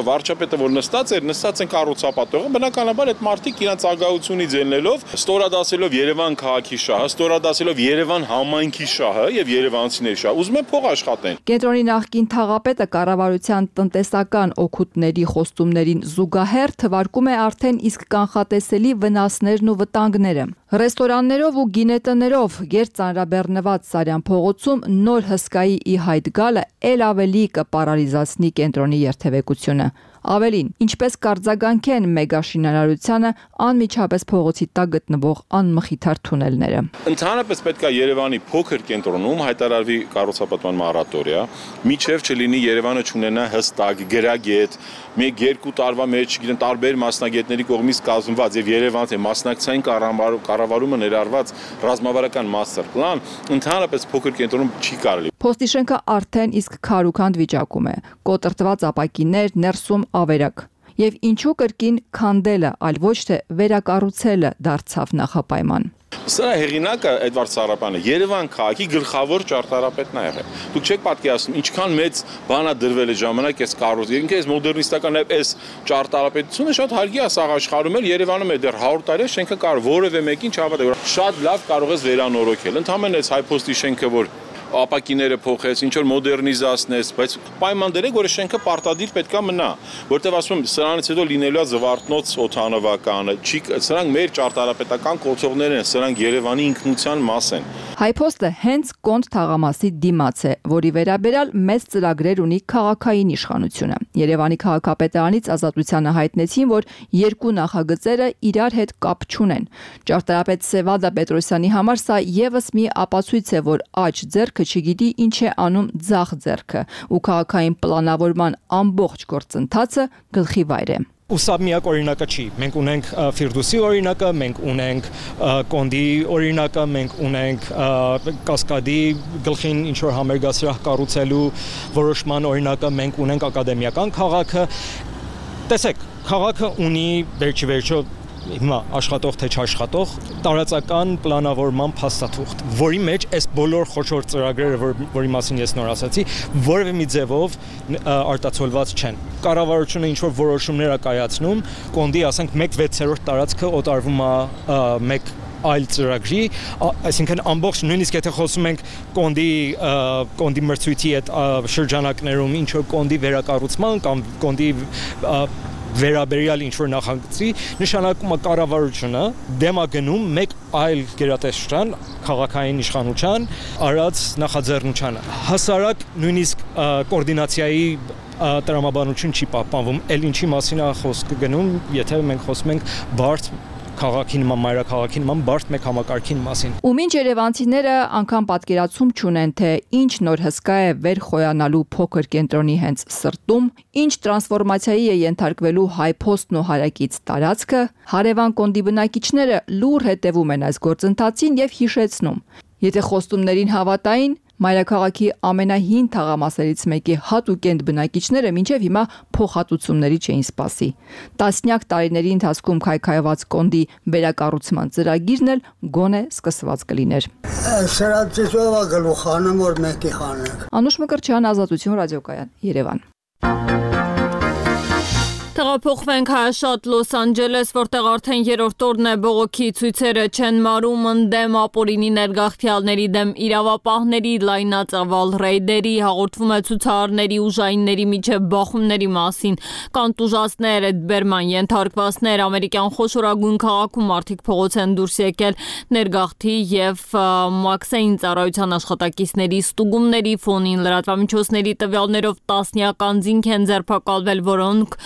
վարչապետը, որ նստած են կառուցապատողը, բնականաբար այդ մարդիկ իրանց ագահությունից ելնելով, ստորադասելով Երևան քաղաքի շահը, ստորադասելով Երևան համայնքի շահը եւ երևանցիների շահը, ուզում են փող աշխատեն։ Կենտրոնի նախկին թաղապետը կառավարության տնտեսական օգուտների խոստումներին զուգահեռ թվարկում է արդեն իսկ կանխատեսելի վնասներն ու վտանգները։ Ռեստորաններով ու գինետներով գերծանրաբեռնված Սարյան փողոցում նոր հսկայի ի հայտ գալը ել ավելի կպարալիզացնի կենտրոնի երթևեկությունը։ Ավելին, ինչպես կարձագանքեն մեգաշինարարությանը անմիջապես փողոցի տակ գտնվող անմխիթար թունելները։ Ընդհանրապես պետք է Երևանի փոքր կենտրոնում հայտարարվի կառուցապատման մորատորիա, միջև չլինի Երևանը չունենա հստակ գրագետ, 1-2 տարվա մեջ, չգիտեմ, տարբեր մասնագետների կողմից կազմված եւ Երևանի մասնակցային կառավարումը ներառված ռազմավարական master plan, ընդհանրապես փոքր կենտրոնում չի կարելի։ Փոստի շենքը արդեն իսկ քարուքանդ վիճակում է, կոտրտված ապակիներ, ներսում ավերակ։ Եվ ինչու կրկին քանդելը, այլ ոչ թե վերակառուցելը դարձավ նախապայման։ Սրա հեղինակը Էդվարդ Սարապյանը Երևան քաղաքի գլխավոր ճարտարապետն է եղել։ Դուք չեք պատկերացնում ինչքան մեծ բան է դրվել է ժամանակ այս կառուցումը, ինքնից մոդեռնիստական այս ճարտարապետությունը շատ հարգի է սաղ աշխարհում էլ Երևանում է դեռ 100 տարի շենքը կարող որևէ մեկին չհավատա, որ շատ լավ կարող ես վերանորոգել։ Ընդհանրապես այս հայփոստի շենքը որ ապակիները փոխեց, ինչ որ մոդեռնիզացնես, բայց պայման դրեք, որ շենքը պարտադիր պետքա մնա, որտեղ ասում եմ, սրանից հետո լինելու է Զվարթնոց օդանավականը, սրանք մեր ճարտարապետական կոթողներ են, սրանք Երևանի ինքնության մաս են։ Հայփոստը հենց Կոնտ թաղամասի դիմաց է, որի վերաբերյալ մեծ ծրագրեր ունի քաղաքային իշխանությունը։ Երևանի քաղաքապետարանից Ազատությանը հայտնեցին, որ երկու նախագծերը իրար հետ կապ չունեն։ Ճարտարապետ Սևադա Պետրոսյանի համար սա եւս մի ապացույց է, որ աջ ձեռքը չգիտի ինչ է անում ձախ ձեռքը, ու քաղաքային պլանավորման ամբողջ գործընթացը գլխի վայր է։ Ու սա միակ օրինակը չի։ Մենք ունենք Ֆիրդուսի օրինակը, մենք ունենք Կոնդի օրինակը, մենք ունենք Կասկադի գլխին ինչ որ համերգասրահ կառուցելու որոշման օրինակը, մենք ունենք ակադեմիական քաղաքը։ Տեսեք, քաղաքը ունի վերջիվերջո հիմա աշխատող թե չաշխատող տարածական պլանավորման փաստաթուղթ, որի մեջ այս բոլոր խոշոր ծրագրերը, որի մասին ես նոր ասացի, որևէ մի ձևով արտացոլված չեն։ Կառավարությունը ինչ որ որոշումներ է կայացնում, Կոնդի, ասենք, 1/6 տարածքը օտարվում է մեկ այլ ծրագրի, այսինքն ամբողջ նույնիսկ եթե խոսում ենք Կոնդի մրցույթի այդ շրջանակներում ինչ որ Կոնդի վերակառուցման կամ Կոնդի վերաբերյալ ինչ-որ նախագծի, նշանակում է կառավարությունը դեմ է գնում մեկ այլ գերատեսչության, քաղաքային իշխանության արած նախաձեռնությանը։ Հասարակ նույնիսկ կոորդինացիայի տրամաբանություն չի պահպանվում, էլ ինչի մասին է խոսքը գնում, եթե մենք խոսում ենք բարդ քաղաքի նման, մայրաքաղաքի նման բարդ մեկ համակարգին մասին։ Ու մինչ երևանցիները անգամ պատկերացում չունեն, թե ինչ նոր հսկա է վերխոյանալու փոքր կենտրոնի հենց սրտում, ինչ տրանսֆորմացիայի է ենթարկվելու հայփոստն ու հարակից տարածքը, հարևան Կոնդի բնակիչները լուր հետևում են այս գործընթացին եւ հիշեցնում. եթե խոստումներին հավատային, մայրաքաղաքի ամենահին թաղամասերից մեկի հատուկենտ բնակիչները մինչև հիմա փոխհատուցումների չէին սպասի։ Տասնյակ տարիների ընթացքում քայքայված Կոնդի վերակառուցման ծրագիրն էլ գոնե սկսված կլիներ։ Սրա ծիսովա գլուխանը որ մեկի խանեք։ Անուշ Մկրտչյան, Ազատություն ռադիոկայան, Երևան։ Տեղափոխվենք հայաշատ Լոս Անջելես, որտեղ արդեն երրորդ օրն է բողոքի ցույցերը չեն մարում ընդդեմ ապօրինի ներգաղթյալների դեմ իրավապահների լայնածավալ ռեյդերի, հաղորդվում է ցուցարարների ուժայինների միջև բախումների մասին, կան տուժածներ, էդբերման ենթարկվածներ, ամերիկյան խոշորագույն քաղաքում մարդիկ փողոց են դուրս եկել ներգաղթի եւ մաքսային ծառայության աշխատակիցների ստուգումների ֆոնին, լրատվամիջոցների տվյալներով տասնյակ անձինք են ձերբակալվել, որոնք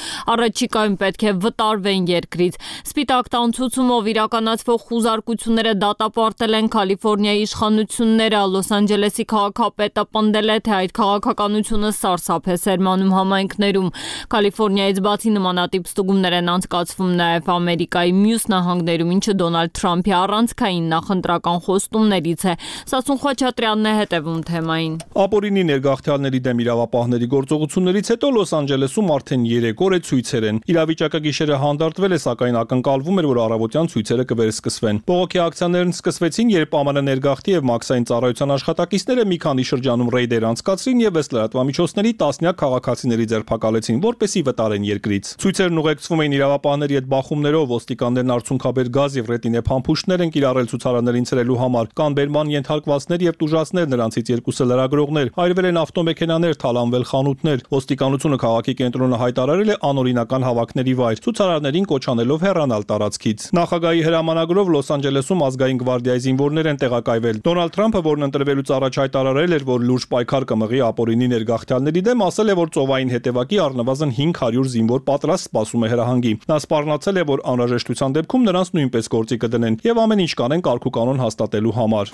առաջիկայում պետք է վտարվեն երկրից։ Սպիտակ տան ցուցումով իրականացվող խուզարկությունները դատապարտել են Կալիֆոռնիայի իշխանությունները։ Լոս Անջելեսի քաղաքապետը պնդել է, թե այդ քաղաքականությունը սարսափ է սերմանում համայնքներում։ Կալիֆոռնիայից բացի նմանատիպ ստուգումներ են անցկացվում նաև Ամերիկայի մյուս նահանգներում, ինչը Դոնալդ Թրամփի առանցքային նախընտրական խոստումներից է։ Սասուն Խաչատրյանն է հետևում թեմային։ Ապօրինի ներգաղթյալների դեմ իրավապահների գործողություններից հետո Լոս Անջելեսում արդեն 3 օր է ցույցեր են։ Իրավիճակը գիշերը հանդարտվել է, սակայն ակնկալվում էր, որ առավոտյան ցույցերը կվերսկսվեն։ Բողոքի ակցիաներն սկսվեցին, երբ ԱՄՆ ներգաղթի եւ մաքսային ծառայության աշխատակիցները մի քանի շրջանում ռեյդեր անցկացրին եւ ըստ լրատվամիջոցների տասնյակ քաղաքացիների ձերբակալեցին, որպեսզի վտարեն երկրից։ Ցույցերն ուղեկցվում էին իրավապահների հետ բախումներով, ոստիկաններն արցունքաբեր գազ եւ ռետինե փամփուշտներ են կիրառել ցուցարարներին ցրելու համար, կան բերման ենթարկվածներ եւ տուժածներ, նրանցից երկուսը լրագրողներ, այրվել են ավտոմեքենաներ, թալանվել խանութներ։ Ոստիկանությունը քաղաքի կենտրոնը հայտարարել է անօրինակ հայրենական հավաքների վայր, ցուցարարներին կոչ անելով հեռանալ տարածքից։ Նախագահի հրամանագրով Լոս Անջելեսում ազգային գվարդիայի զինվորներ են տեղակայվել։ Դոնալդ Թրամփը, որն ընտրվելուց առաջ հայտարարել էր, որ լուրջ պայքար կմղի ապօրինի ներգաղթյալների դեմ, ասել է, որ ծովային հետևակի առնվազն 500 զինվոր պատրաստ սպասում է հրահանգի։ Նա սպառնացել է, որ անհրաժեշտության դեպքում նրանց նույնպես գործի կդնեն եւ ամեն ինչ կանեն կարգուկանոն հաստատելու համար։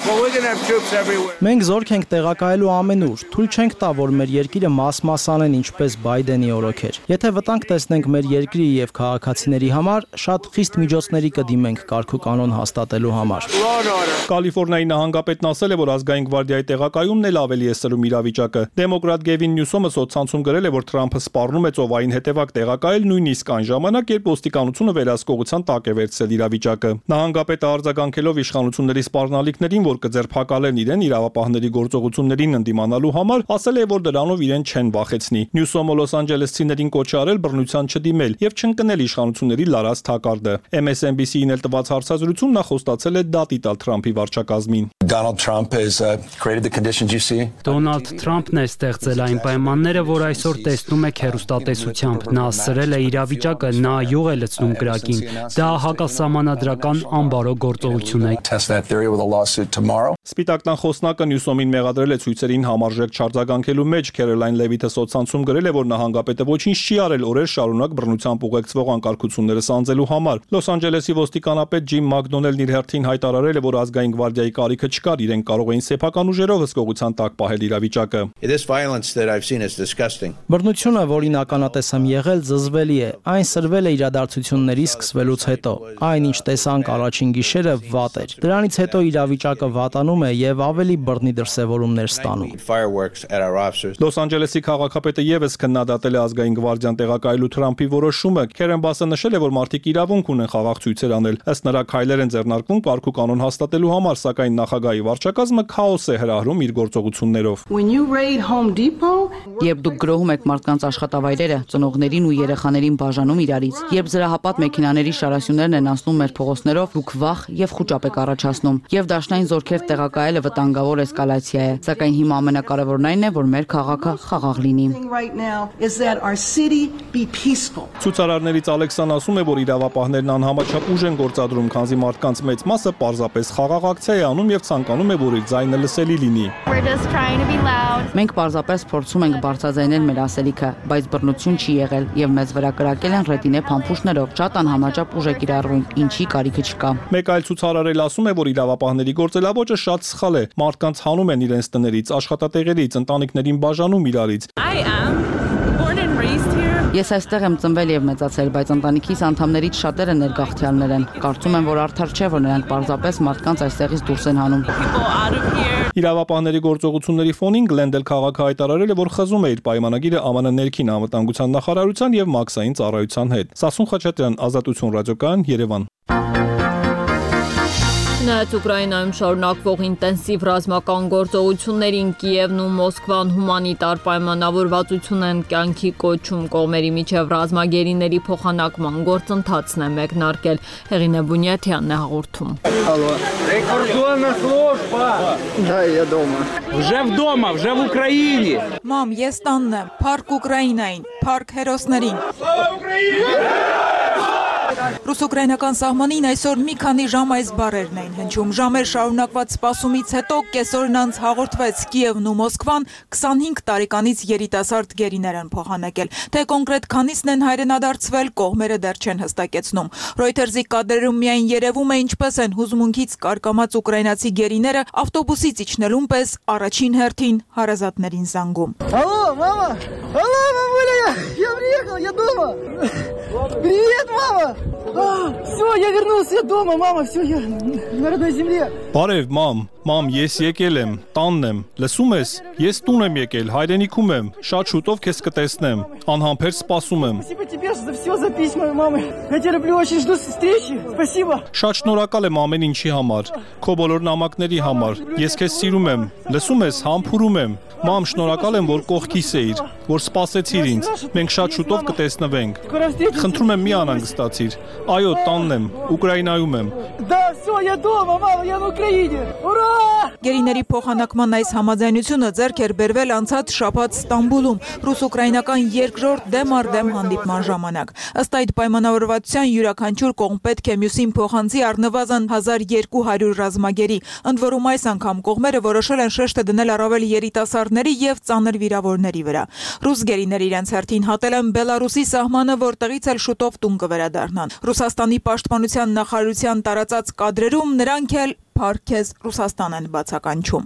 Մենք զորք ենք տեղակայելու ամենուր։ Թույլ չենք տա, որ մեր երկիրը մաս-մասանեն ինչպես Բայդենի օրոքեր։ Եթե վտանգ տեսնենք մեր երկրի եւ քաղաքացիների համար, շատ խիստ միջոցների կդիմենք կարգուկանոն հաստատելու համար։ Կալիֆոռնիայի նահանգապետն ասել է, որ ազգային գվարդիայի տեղակայումն էլ ավելի է սրում իրավիճակը։ Դեմոկրատ Գևին Նյուսոմը սոցցանցում գրել է, որ Թրամփը սպառնում է ծովային հետևակ տեղակայել նույնիսկ այն ժամանակ, երբ ոստիկանությունը վերահսկողության տակ է վերցրել իրավիճակը։ Նահանգապետը արձագանքելով իշխանությունների սպառնալիքներին, որ կձերբակալեն իրեն իրավապահների գործողություններին ընդդիմանալու համար, ասել է, որ դրանով իրեն չեն վախեցնի։ Նյուսոմը Լոս Անջելեսցիներին կոչ արել բռնության չդիմել եւ չընկնել իշխանությունների լարած թակարդը։ MSNBC-ին էլ տված հարցազրույցում նա խոստացել է դատի տալ Թրամփի վարչակազմին։ Դոնալդ Թրամփն է ստեղծել այն պայմանները, որ այսօր տեսնում եք հեռուստատեսությամբ։ Նա սրել է իրավիճակը, նա յուղ է լցնում կրակին։ Դա հակասահմանադրական անբարո գործողություն է։ Սպիտակ տան խոսնակը Նյուսոմին մեղադրել է ցույցերին համարժեք չարձագանքելու մեջ։ Քերոլայն Լևիթը սոցցանցում գրել է, որ նահանգապետը ոչինչ չի արել օրեր շարունակ բռնությամբ ուղեկցվող անկարգությունները սանձելու համար։ Լոս Անջելեսի ոստիկանապետ Ջիմ Մակդոնելն իր հերթին հայտարարել է, որ ազգային գվարդիայի կարիքը չկար, իրենք կարող էին սեփական ուժերով հսկողության տակ պահել իրավիճակը։ Բռնությունը, որին ականատես եմ եղել, զզվելի է։ Այն սրվել է իրադարձությունների սկսվելուց հետո։ Այն, ինչ տեսանք առաջին գիշերը, վատ էր։ Դրանից հետո իրավիճակը վատանում է եւ ավելի բռնի դրսևորումներ ստանում։ Լոս Անջելեսի քաղաքապետը եւս քննադատել է ազգային գվարդիան տեղակայելու Թրամփի որոշումը։ Քերեն Բասը նշել է, որ մարդիկ իրավունք ունեն խաղաղ ցույցեր անել։ Ըստ նրա քայլեր են ձեռնարկվում կարգուկանոն հաստատելու համար, սակայն նախագահի վարչակազմը քաոս է հրահրում իր գործողություններով։ Երբ դուք գրոհում եք մարդկանց աշխատավայրերը, ծնողներին ու երեխաներին բաժանում իրարից, երբ զրահապատ մեքենաների շարասյուներն են անցնում մեր փողոցներով, դուք վախ եւ խուճապ եք առաջացնում, եւ դաշնային զորքեր տեղակայելը վտանգավոր էսկալացիա է, սակայն հիմա ամենակարևորն այն է, որ մեր քաղաքը խաղաղ լինի։ Ցուցարարներից Ալեքսան ասում է, որ իրավապահներն անհամաչափ ուժ են գործադրում, քանզի մարդկանց մեծ մասը պարզապես խաղաղ ակցիա է անում եւ ցանկանում է, որ իր ձայնը լսելի լինի։ Մենք պարզապես փորձում ենք բարձրաձայնել մեր ասելիքը, բայց բռնություն չի եղել եւ մեզ վրա կրակել են ռետինե փամփուշտներով, շատ անհամաչափ ուժ է կիրառվում, ինչի կարիքը չկա։ Մեկ այլ ցուցարար էլ ասում է, որ իրավապահների գործելավոճը շատ սխալ է։ Մարդկանց հանում են իրենց տներից, աշխատատեղերից, ընտանիքներին բաժանում իրարից։ Ես այստեղ եմ ծնվել եւ մեծացել, բայց ընտանիքիս անդամներից շատերը ներգաղթյալներ են։ Կարծում եմ, որ արդար չէ, որ նրանք պարզապես մարդկանց այստեղից դուրս են հանում։ Իրավապահների գործողությունների ֆոնին Գլենդել քաղաքը հայտարարել է, որ խզում է իր պայմանագիրը ԱՄՆ ներքին անվտանգության նախարարության եւ մաքսային ծառայության հետ։ Սասուն Խաչատրյան, Ազատություն ռադիոկայան, Երևան։ Չնայած Ուկրաինայում շարունակվող ինտենսիվ ռազմական գործողություններին Կիևն ու Մոսկվան հումանիտար պայմանավորվածություն են կյանքի կոչում, կողմերի միջև ռազմագերիների փոխանակման գործընթացն է մեկնարկել։ Հեղինե Բունյաթյանն է հաղորդում։ Уже в Украине. Մամ, ես տանն եմ, փառք Ուկրաինային, փառք հերոսներին։ Ռուս-ուկրաինական սահմանին այսօր մի քանի ժամ այս բառերն էին հնչում։ Ժամեր շարունակված սպասումից հետո կեսօրն անց հաղորդվեց Կիևն ու Մոսկվան 25 տարեկանից երիտասարդ գերիներ են փոխանակել։ Թե կոնկրետ քանիսն են հայրենադարձվել, կողմերը դեռ չեն հստակեցնում։ Reuters-ի կադրերում միայն երևում է ինչպես են հուզմունքից կարկամած ուկրաինացի գերիները ավտոբուսից իջնելուն պես առաջին հերթին հարազատներին զանգում։ Алло, мама! Алло, мамуля, я приехал, я дома! Привет, мама! Все, я вернулся, я дома, мама, все, я на родной земле. Բարև, մամ, ես եկել եմ, տանն եմ, լսում ես, ես տուն եմ եկել, հայրենիքում եմ, շատ շուտով քեզ կտեսնեմ, անհամբեր սպասում եմ։ Спасибо тебе за все, за письма мамы. Я тебя люблю, очень жду встречи. Спасибо. Շատ շնորհակալ եմ ամեն ինչի համար, քո բոլոր նամակների համար։ Ես քեզ սիրում եմ, լսում ես, համբուրում եմ։ Մամ, շնորհակալ եմ, որ կողքիս էիր, որ սպասեցիր ինձ։ Մենք շատ շուտով կտեսնվենք։ Խնդրում եմ, մի անհանգստացիր։ Այո, տանն եմ, Ուկրաինայում եմ։ Да, все, я дома, мама, я на Украине. Ура! Գերիների փոխանակման այս համաձայնությունը ձեռք էր բերվել անցած շաբաթ Ստամբուլում ռուս-ուկրաինական երկրորդ դեմ առ դեմ հանդիպման ժամանակ։ Ըստ այդ պայմանավորվածության յուրաքանչյուր կողմ պետք է մյուսին փոխանցի առնվազն 1200 ռազմագերի։ Ընդ որում այս անգամ կողմերը որոշել են շեշտը դնել առավել երիտասարդների եւ ծանր վիրավորների վրա։ Ռուս գերիները իրենց հերթին հատել են Բելարուսի սահմանը, որտեղից էլ շուտով տուն կվերադառնան։ Ռուսաստանի պաշտպանության նախարարության տարածած կադրերում նրանք էլ Փարքեզ Ռուսաստան են բացականչում։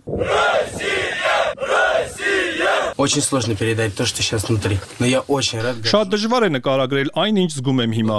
Очень сложно передать то, что сейчас внутри. Но я очень рад. Շատ դժվար է նկարագրել այն, ինչ զգում եմ հիմա։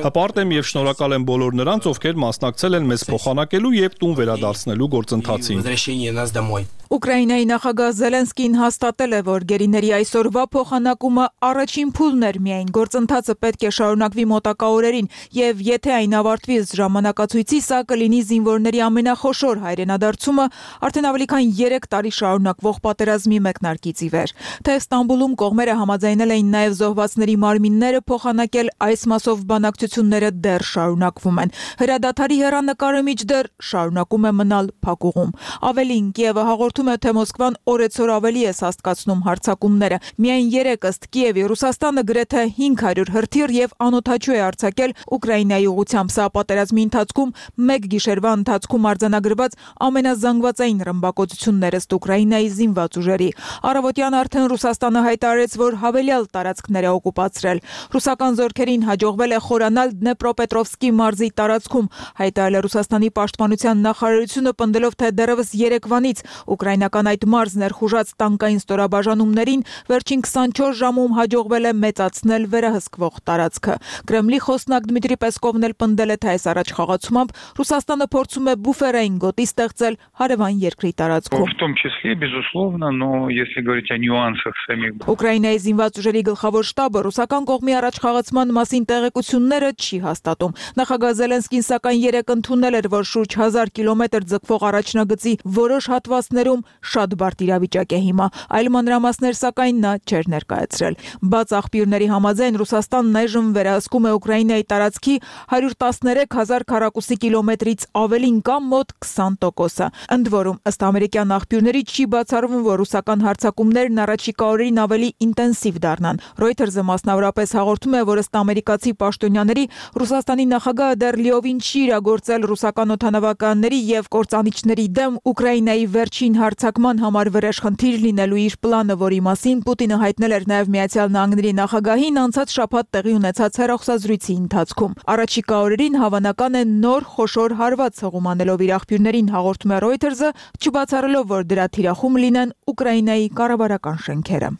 Հպարտ եմ եւ շնորհակալ եմ բոլոր նրանց, ովքեր մասնակցել են մեզ փոխանակելու եւ տուն վերադարձնելու գործընթացին։ Возвращение нас домой. Ուկրաինայի նախագահ Զելենսկին հաստատել է, որ գերիների այսօրվա փոխանակումը առաջին փուլն էր միայն, գործընթացը պետք է շարունակվի մոտակա օրերին, եւ եթե այն ավարտվի ըստ ժամանակացույցի, սա կլինի զինվորների ամենախոշոր հայրենադարձումը արդեն ավելի քան 3 տարի շարունակվող պատերազմի մեկնարկից ի վեր։ Թե Ստամբուլում կողմերը համաձայնել էին նաեւ զոհվածների մարմինները փոխանակել, այս մասով բանակցությունները դեռ շարունակվում են։ Հրադադարի հեռանկարը մինչդեռ շարունակում է մնալ փակուղում։ Ավելին, Կիևը հաղորդում է, թե Մոսկվան օրեցօր ավելի է սաստկացնում հարձակումները։ Միայն 3 ըստ Կիևի Ռուսաստանը գրեթե 500 հրթիռ եւ անօդաչու է արձակել Ուկրաինայի ուղղությամբ։ Սա պատերազմի ընթացքում մեկ գիշերվա ընթացքում արձանագրված ամենազանգվածային ռմբակոծությունն էր ըստ Ուկրաինայի զինված ուժերի։ Առավոտյան արդեն Ռուսաստանը հայտարարեց, որ հավելյալ տարածքներ է օկուպացրել։ Ռուսական զորքերին հաջողվել է խորանալ Դնեպրոպետրովսկի մարզի տարածքում, հայտարարել է Ռուսաստանի պաշտպանության նախարարությունը, պնդելով, թե դեռևս երեկվանից ուկրաինական այդ մարզն ներխուժած տանկային ստորաբաժանումներին վերջին 24 ժամում հաջողվել է մեծացնել վերահսկվող տարածքը։ Կրեմլի խոսնակ Դմիտրի Պեսկովն էլ պնդել է, թե այս առաջխաղացումով Ռուսաստանը փորձում է բուֆերային գոտի ստեղծել հարևան երկրի տարածքում։ В том числе, безусловно, но если говорить о нюансах самих. Ուկրաինայի զինված ուժերի գլխավոր շտաբը ռուսական կողմի առաջխաղացման մասին տեղեկությունները չի հաստատում։ Նախագահ Զելենսկին սակայն երեկ ընդունել էր, որ շուրջ 1000 կիլոմետր ձգվող առաջնագծի որոշ հատվածներում շատ բարդ իրավիճակ է հիմա, այլ մանրամասներ սակայն նա չէր ներկայացրել։ Բաց աղբյուրների համաձայն Ռուսաստանն այժմ վերահսկում է Ուկրաինայի տարածքի 113,000 քառակուսի կիլոմետրից ավելին կամ մոտ 20%-ը։ Ընդ որում, ըստ ամերիկյան աղբյուրների չի բացառվում, որ ռուսական հարձակումներն առաջիկա օրերին ավելի ինտենսիվ դառնան։ Reuters-ը մասնավորապես հաղորդում է, որ ըստ ամերիկացի պաշտոնյաների Ռուսաստանի նախագահը դեռ լիովին չի իրագործել ռուսական օդանավականների եւ կործանիչների դեմ Ուկրաինայի վերջին հարձակման համար վրեժխնդիր լինելու իր պլանը, որի մասին Պուտինը հայտնել էր նաև Միացյալ Նահանգների նախագահին անցած շաբաթ տեղի ունեցած հեռախոսազրույցի ընթացքում։ Առաջիկա օրերին հավանական է նոր խոշոր հարված հղումանելով իր աղբյուրներին, հաղորդում է Reuters-ը, չբացառելով, որ դրա թիրախում լինեն Ուկրաինայի կառավարական շենքերը։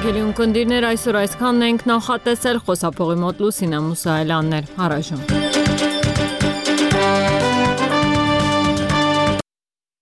Գելիուն կնդիրներ այսօր այսքանն ենք նախատեսել, խոսափողի մոտ Լուսինա Մուսայելյանն էր, առայժմ։